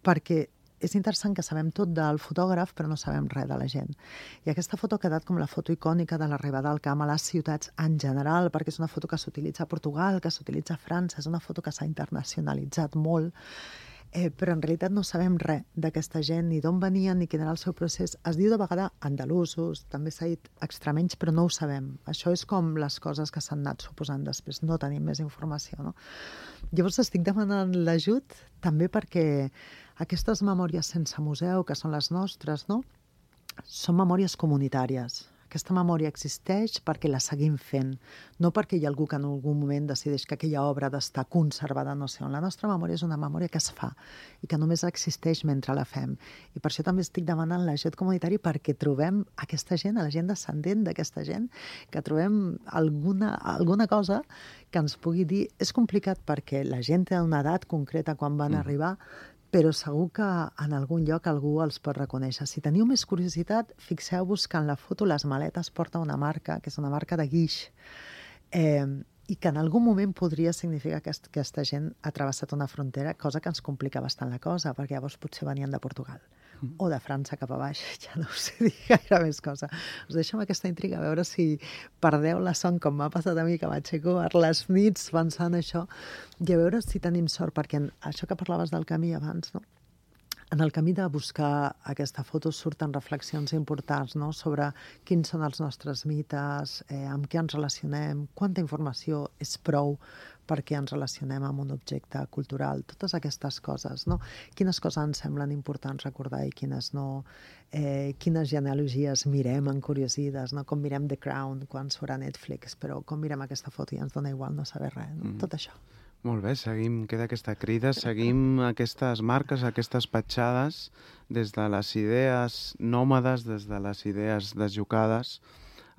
perquè és interessant que sabem tot del fotògraf, però no sabem res de la gent. I aquesta foto ha quedat com la foto icònica de l'arribada al camp a les ciutats en general, perquè és una foto que s'utilitza a Portugal, que s'utilitza a França, és una foto que s'ha internacionalitzat molt, eh, però en realitat no sabem res d'aquesta gent, ni d'on venien, ni quin era el seu procés. Es diu de vegada andalusos, també s'ha dit extremenys, però no ho sabem. Això és com les coses que s'han anat suposant després, no tenim més informació, no? Llavors estic demanant l'ajut també perquè aquestes memòries sense museu, que són les nostres, no? Són memòries comunitàries. Aquesta memòria existeix perquè la seguim fent, no perquè hi ha algú que en algun moment decideix que aquella obra ha d'estar conservada no sé on. La nostra memòria és una memòria que es fa i que només existeix mentre la fem. I per això també estic demanant l'ajut comunitari perquè trobem aquesta gent, a la gent descendent d'aquesta gent, que trobem alguna, alguna cosa que ens pugui dir. És complicat perquè la gent té una edat concreta quan van mm. arribar, però segur que en algun lloc algú els pot reconèixer. Si teniu més curiositat, fixeu-vos que en la foto les maletes porten una marca, que és una marca de guix. Eh, i que en algun moment podria significar que aquesta gent ha travessat una frontera, cosa que ens complica bastant la cosa, perquè llavors potser venien de Portugal mm. o de França cap a baix, ja no us sé dir gaire més cosa. Us deixo amb aquesta intriga, a veure si perdeu la son, com m'ha passat a mi, que m'aixeco a les nits pensant això, i a veure si tenim sort, perquè això que parlaves del camí abans, no? En el camí de buscar aquesta foto surten reflexions importants, no?, sobre quins són els nostres mites, eh, amb què ens relacionem, quanta informació és prou perquè ens relacionem amb un objecte cultural, totes aquestes coses, no? Quines coses ens semblen importants recordar i quines no, eh, quines genealogies mirem encuriosides, no? Com mirem The Crown quan surt a Netflix, però com mirem aquesta foto i ens dona igual no saber res, no? Mm. Tot això. Molt bé, seguim, queda aquesta crida, seguim aquestes marques, aquestes petjades des de les idees nòmades, des de les idees desjocades.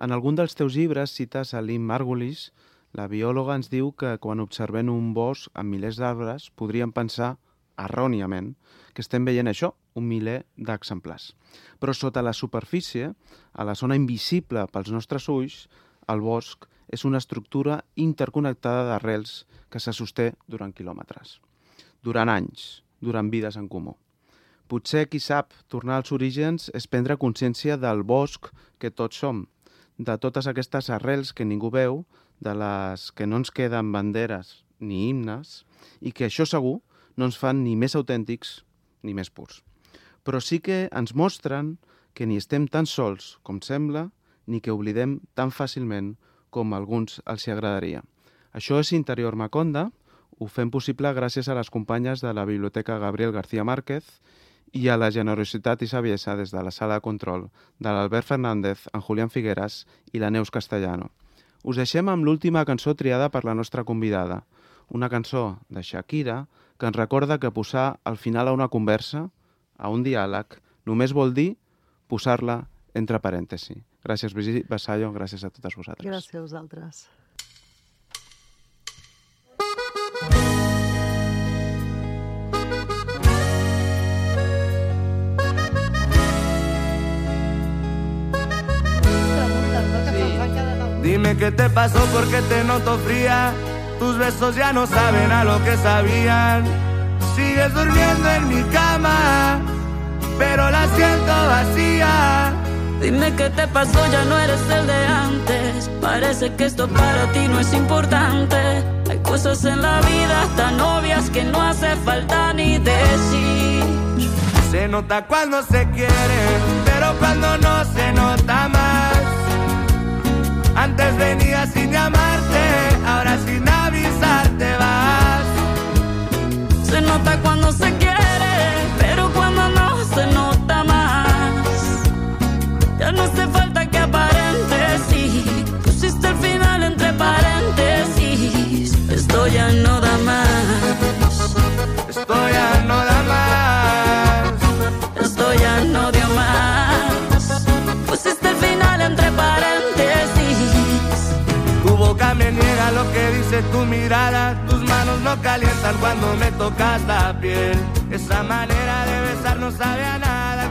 En algun dels teus llibres cites a Lynn Margulis. La biòloga ens diu que quan observem un bosc amb milers d'arbres podríem pensar, erròniament, que estem veient això, un miler d'exemplars. Però sota la superfície, a la zona invisible pels nostres ulls, el bosc és una estructura interconnectada d'arrels que se sosté durant quilòmetres, durant anys, durant vides en comú. Potser, qui sap, tornar als orígens és prendre consciència del bosc que tots som, de totes aquestes arrels que ningú veu, de les que no ens queden banderes ni himnes, i que això segur no ens fan ni més autèntics ni més purs. Però sí que ens mostren que ni estem tan sols com sembla, ni que oblidem tan fàcilment com a alguns els hi agradaria. Això és Interior Maconda, ho fem possible gràcies a les companyes de la Biblioteca Gabriel García Márquez i a la generositat i saviesa des de la sala de control de l'Albert Fernández, en Julián Figueras i la Neus Castellano. Us deixem amb l'última cançó triada per la nostra convidada, una cançó de Shakira que ens recorda que posar al final a una conversa, a un diàleg, només vol dir posar-la entre parèntesis. Gràcies, Brigitte Vasallo, gràcies a totes vosaltres. Gràcies a vosaltres. Dime qué te pasó porque te noto fría. Tus besos ya no saben a lo que sabían. Sigues durmiendo en mi cama, pero la siento vacía. Dime qué te pasó, ya no eres el de antes. Parece que esto para ti no es importante. Hay cosas en la vida tan obvias que no hace falta ni decir. Se nota cuando se quiere, pero cuando no se nota más. Antes venías sin llamarte, ahora sin avisar te vas. Se nota cuando se quiere, pero cuando no se nota más. Ya no hace falta que aparentes, sí. Pusiste el final entre paréntesis. Esto ya no da más. Esto ya no da más. Esto ya no dio más. Pusiste el final entre paréntesis. Tu boca me niega lo que dice tu mirada. Tus manos no calientan cuando me tocas la piel. Esa manera de besar no sabe a nada.